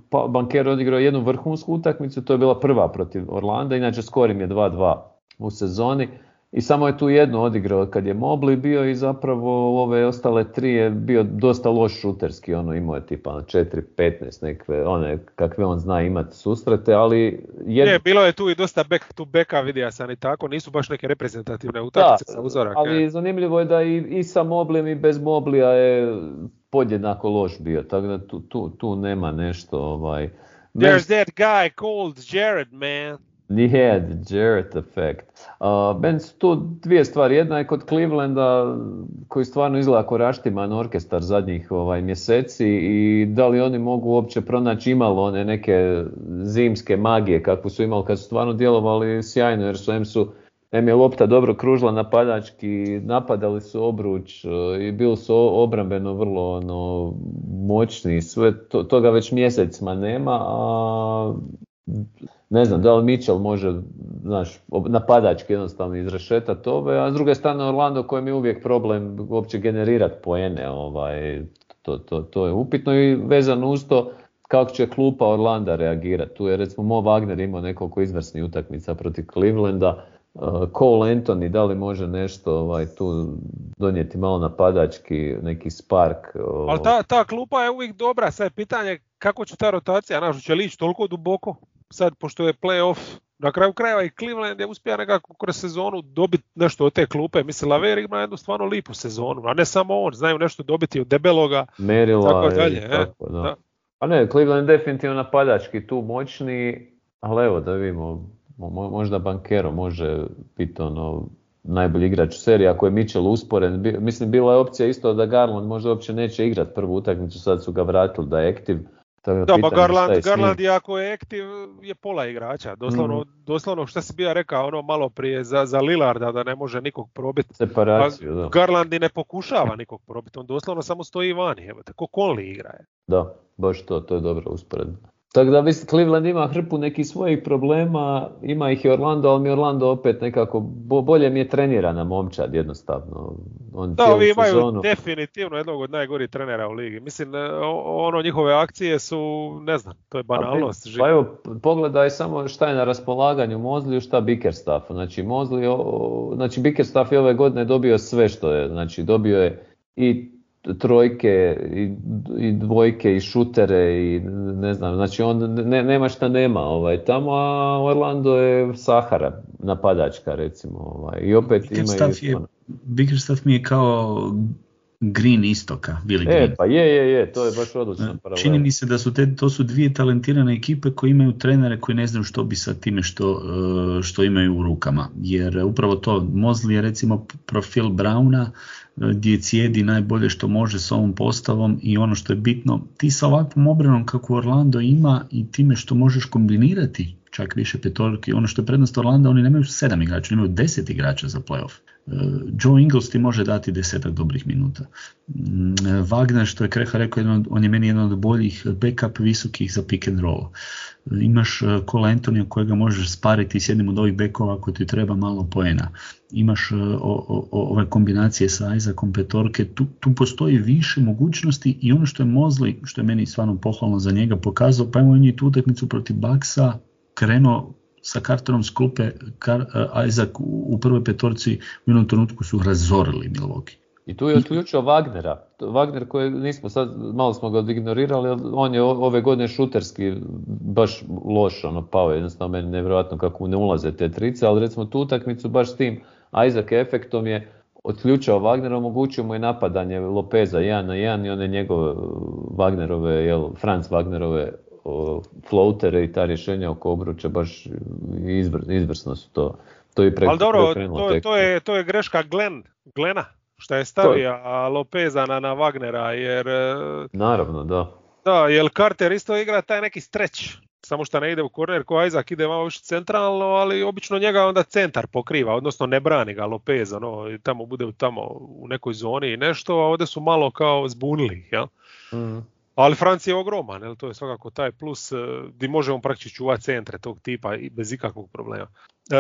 pa, Banker odigrao jednu vrhunsku utakmicu, to je bila prva protiv Orlanda, inače skor im je dva dva u sezoni i samo je tu jednu odigrao kad je Mobley bio i zapravo ove ostale tri je bio dosta loš šuterski, ono imao je tipa četiri petnaest nekve, one kakve on zna imati susrete, ali... Jed... Je, bilo je tu i dosta back to backa, vidio sam i tako, nisu baš neke reprezentativne utakmice sa uzorak. Ali je. Zanimljivo je da i, i sa Mobleyem i bez Moblija je podjednako loš bio, tako da tu, tu, tu nema nešto ovaj... There's that guy called Jared, man. Yeah, the Jarrett effect. Uh, ben su tu dvije stvari. Jedna je kod Clevelanda koji stvarno izgleda kao raštiman orkestar zadnjih ovaj, mjeseci i da li oni mogu uopće pronaći imalo one neke zimske magije kakvu su imali kad su stvarno djelovali sjajno jer su em su em je lopta dobro kružila napadački, napadali su obruč i bili su obrambeno vrlo ono, moćni. Sve to, toga već mjesecima nema, a ne znam, da li Mitchell može, znaš, napadački jednostavno izrešetati ove, a s druge strane Orlando kojem je uvijek problem uopće generirati poene, ovaj, to, to, to je upitno i vezano uz to kako će klupa Orlanda reagirati. Tu je recimo Mo Wagner imao nekoliko izvrsnih utakmica protiv Clevelanda, uh, Cole Anthony da li može nešto ovaj, tu donijeti malo napadački, neki spark. Uh, Ali ta, ta klupa je uvijek dobra, sad je pitanje kako će ta rotacija, znaš, će li ići toliko duboko? Sad, pošto je play-off, na kraju krajeva i Cleveland je uspio nekako kroz sezonu dobiti nešto od te klupe. Mislim, Laver ima jednu stvarno lipu sezonu, a ne samo on, znaju nešto dobiti od debeloga, Merila, tako dalje. Je, tako, da. Da. A ne, Cleveland definitivno napadački tu moćni, ali evo da vidimo, možda Bankero može biti ono najbolji igrač u seriji, ako je Mitchell usporen. Mislim, bila je opcija isto da Garland možda uopće neće igrati prvu utakmicu, sad su ga vratili da je aktiv. Da, pa Garland, Garland je ako je aktiv je pola igrača, doslovno, mm. doslovno što si bio rekao ono malo prije za, za Lillarda da ne može nikog probiti. Separaciju, da. Garland i ne pokušava nikog probiti, on doslovno samo stoji vani, evo, tako Conley igra je. Da, baš to, to je dobro usporedno. Tako da mislim, Cleveland ima hrpu nekih svojih problema, ima ih i Orlando, ali mi Orlando opet nekako, bolje mi je trenirana momčad jednostavno. On da, ovi imaju sezonu... definitivno jednog od najgorih trenera u ligi. Mislim, ono njihove akcije su, ne znam, to je banalnost. Pa, pa evo, pogledaj samo šta je na raspolaganju Mosley, šta Bickerstaff. Znači, Mosley, znači Bickerstaff je ove godine dobio sve što je, znači dobio je i trojke i, i dvojke i šutere i ne znam, znači on ne, nema šta nema ovaj, tamo, a Orlando je Sahara napadačka recimo ovaj, i opet Bickerstaff imaju... Je, Bickerstaff mi je kao Green istoka, Billy Green. E, pa je, je, je, to je baš odlično. Čini mi se da su te, to su dvije talentirane ekipe koje imaju trenere koji ne znaju što bi sa time što, što imaju u rukama. Jer upravo to, Mosley je recimo profil Browna, gdje cijedi najbolje što može s ovom postavom i ono što je bitno, ti sa ovakvom obranom kako Orlando ima i time što možeš kombinirati čak više petorki, ono što je prednost Orlanda, oni nemaju sedam igrača, oni imaju deset igrača za playoff. Joe Ingles ti može dati desetak dobrih minuta. Wagner, što je Kreha rekao, on je meni jedan od boljih backup visokih za pick and roll. Imaš Cole Anthony kojega možeš spariti s jednim od ovih bekova ako ti treba malo poena. Imaš o, o, ove kombinacije sa Isaacom petorke, tu, tu postoji više mogućnosti i ono što je Mosley, što je meni stvarno pohvalno za njega pokazao, pa imamo i tu utakmicu protiv Bucksa, krenuo sa Carterom s klupe, Kar, uh, Isaac u, u prvoj petorci u jednom trenutku su razorili Milwaukee. I tu je otključio Wagnera. Wagner koji nismo sad, malo smo ga ignorirali, on je ove godine šuterski baš loš, ono, pao je jednostavno meni nevjerojatno kako ne ulaze te trice, ali recimo tu utakmicu baš s tim Isaac efektom je otključao Wagnera, omogućio mu je napadanje Lopeza jedan na jedan i one njegove Wagnerove, jel, Franz Wagnerove floatere i ta rješenja oko obruča baš izvr, izvrsno su to. To je preko, ali dobro, to, to, je, to je greška Glenn, Glena, što je stavio Lopeza na, na Wagnera, jer... Naravno, da. Da, jer Carter isto igra taj neki stretch, samo što ne ide u korner, ko Isaac ide malo više centralno, ali obično njega onda centar pokriva, odnosno ne brani ga Lopeza, no, i tamo bude tamo u nekoj zoni i nešto, a ovdje su malo kao zbunili, jel? Mm. Ali Franc je ogroman, jel? To je svakako taj plus gdje možemo praktično čuvati centre tog tipa i bez ikakvog problema. E,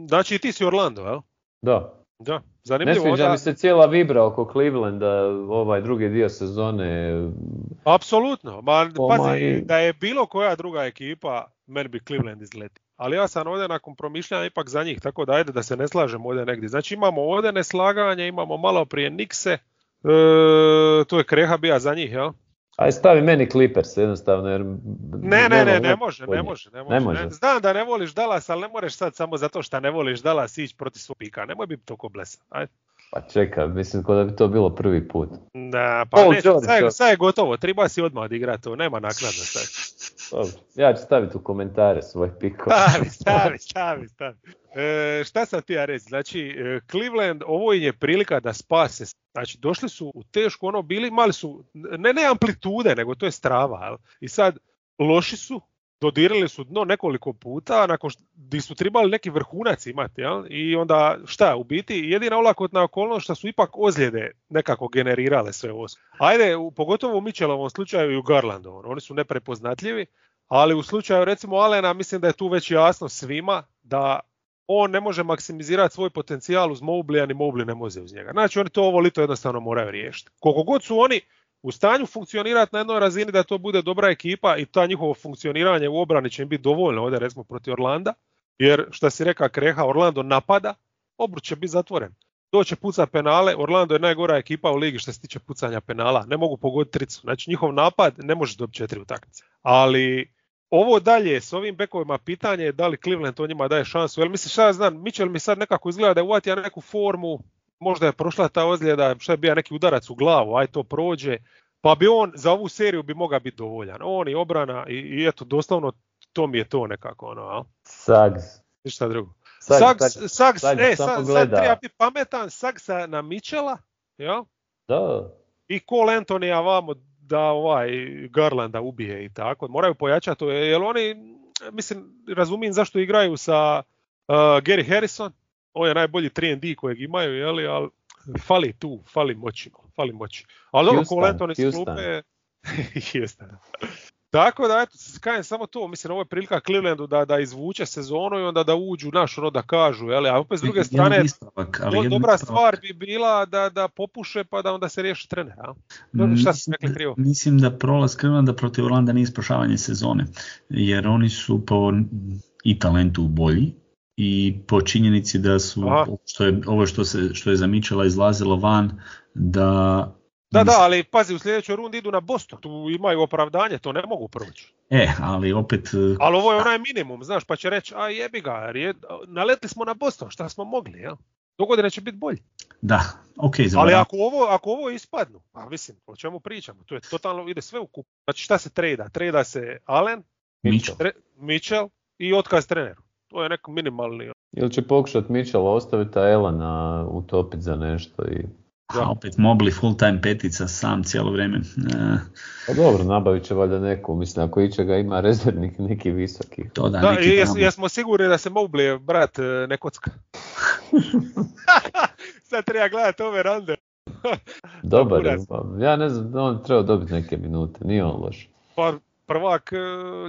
znači ti si Orlando, jel? Da. Da, zanimljivo. Ne sviđa onda... mi se cijela vibra oko Clevelanda, ovaj drugi dio sezone. Apsolutno, ma pazi, i... da je bilo koja druga ekipa, meni bi Cleveland izleti. ali ja sam ovdje nakon promišljanja ipak za njih, tako da ajde da se ne slažemo ovdje negdje. Znači imamo ovdje neslaganje, imamo malo prije Nikse, e, to je Kreha bija za njih, jel? Aj stavi meni Clippers jednostavno jer... Ne, ne, ne, ne može, ne može, ne može. Ne može. Ne, znam da ne voliš Dallas, ali ne možeš sad samo zato što ne voliš Dallas ići protiv svog pika. Nemoj biti toliko blesan. Ajde. Pa čekaj, mislim ko da bi to bilo prvi put. Da, pa Oh, ne, George, sad, George. sad je gotovo, treba si odmah odigrati to, nema naknadno sad. Dobro. Ja ću staviti u komentare svoj pikov. Stavi, stavi, stavi, stavi. E, šta sam ti ja reći? Znači, e, Cleveland, ovo im je prilika da spase. Znači, došli su u tešku, ono, bili, imali su, ne ne amplitude, nego to je strava. Jel? I sad, loši su, dodirali su dno nekoliko puta, nakon što di su trebali neki vrhunac imati, jel? I onda, šta, u biti, jedina olakotna okolnost što su ipak ozljede nekako generirale sve ovo. Ajde, u, pogotovo u Mitchellovom slučaju i u Garlandovom, oni su neprepoznatljivi, ali u slučaju recimo Allena mislim da je tu već jasno svima da on ne može maksimizirati svoj potencijal uz Mobley, a ni Mobley ne može uz njega. Znači oni to ovo lito jednostavno moraju riješiti. Koliko god su oni u stanju funkcionirati na jednoj razini da to bude dobra ekipa i ta njihovo funkcioniranje u obrani će im biti dovoljno ovdje recimo protiv Orlanda, jer što si reka Kreha, Orlando napada, obruč će biti zatvoren. Doće puca penale, Orlando je najgora ekipa u ligi što se tiče pucanja penala, ne mogu pogoditi tricu, znači njihov napad ne može dobiti četiri utakmice. Ali ovo dalje s ovim bekovima pitanje je da li Cleveland to njima daje šansu, jer mislim šta ja znam, Mitchell mi sad nekako izgleda da je uvatio neku formu, možda je prošla ta ozljeda, šta je bio neki udarac u glavu, aj to prođe, pa bi on za ovu seriju bi mogao biti dovoljan. On i obrana i, i eto, doslovno to mi je to nekako, ono, a? Sags. Ništa drugo. Sags, Sags, Sags, Sags, Sags e, samo sad, gleda. sad treba biti pametan, Sagsa na Mitchella, ja? Da. I Cole Anthony vamo da ovaj Garlanda ubije i tako. Moraju pojačati to, jer oni, mislim, razumijem zašto igraju sa uh, Gary Harrison, on je najbolji tri and D kojeg imaju, jeli, ali fali tu, fali moći, fali moći. Ali dobro, Cole Anthony s klupe, jeste. Tako da, eto, kajem samo to, mislim, ovo je prilika Clevelandu da, da izvuče sezonu i onda da uđu naš, ono da kažu, jeli, a opet s druge strane, ispravak, ali do, dobra ispravak. stvar bi bila da, da popuše pa da onda se riješi trener, a? No, šta si rekli krivo? Mislim da prolaz Clevelanda protiv Orlanda nije spašavanje sezone, jer oni su po i talentu bolji i po činjenici da su, što je, ovo što, se, što je za Mitchella izlazilo van, da... Da, da, ali pazi, u sljedećoj rundi idu na Boston, tu imaju opravdanje, to ne mogu proći. E, ali opet... Ali ovo je onaj minimum, znaš, pa će reći, a jebi ga, jer je, naletli smo na Boston, šta smo mogli, jel? Dogodine će biti bolji. Da, ok. Ali ako ovo, ako ovo ispadnu, pa mislim, o čemu pričamo, to je totalno, ide sve u kup. Znači šta se trejda? Trejda se Allen, Mitchell, tre, Mitchell i otkaz treneru. To je neko minimalni. Ili će pokušati Mitchell ostaviti, a Elena utopiti za nešto i... A opet Mobley full time petica sam cijelo vrijeme. E... Pa dobro, nabavit će valjda neku, mislim ako ičega ima rezervnik neki visoki. To da, da neki jes, jesmo sigurni da se Mobley, brat, ne kocka. Sad treba gledati ove rande. Dobar je, ja ne znam, on treba dobiti neke minute, nije on loš. Pa prvak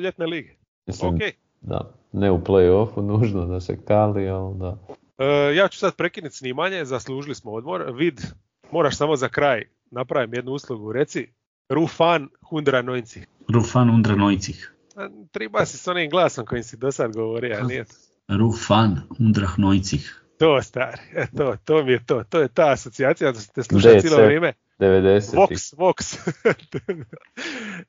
ljetne lige. Mislim, okay. Da, ne u play-offu nužno da se kali, ali da. Uh, ja ću sad prekinuti snimanje, zaslužili smo odmor. Vid, moraš samo za kraj napravim jednu uslugu. Reci, Rufan hundraneunzig. Rufan hundraneunzig. Treba si s onim glasom kojim si do sad govorio, a nije to. Rufan hundraneunzig. To, stari, e, to, to mi je to. To je ta asocijacija da ste slušali cijelo vrijeme. devedeset. Vox, Vox.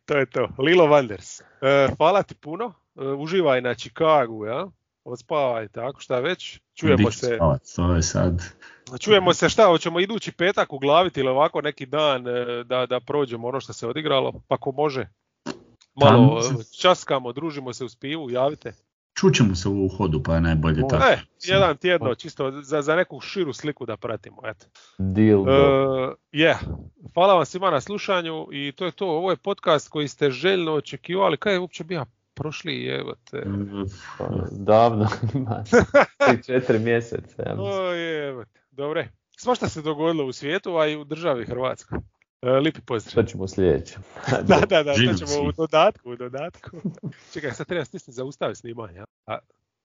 To je to. Lilo Wanders. Uh, hvala ti puno. Uh, uživaj na Chicagu, ja? Odspavaj, tako šta već. Čujemo se. To je sad. Čujemo se šta, hoćemo idući petak uglaviti ili ovako neki dan da, da prođemo ono što se odigralo, pa ko može. Malo časkamo, družimo se uz pivu, javite. Čućemo se u hodu, pa je najbolje o, tako. E, jedan tjedno, čisto za, za neku širu sliku da pratimo, eto. Deal. Uh, yeah. Hvala vam svima na slušanju i to je to, ovo je podcast koji ste željno očekivali, kaj je uopće bio prošli, evo te. Pa, davno, ima četiri mjeseca. Ja o, evo te, dobre. Svašta se dogodilo u svijetu, a i u državi Hrvatskoj. Lipi pozdrav. To ćemo sljedeće. da, da, da, to ćemo u dodatku, u dodatku. Čekaj, sad treba stisniti zaustavi snimanje. A,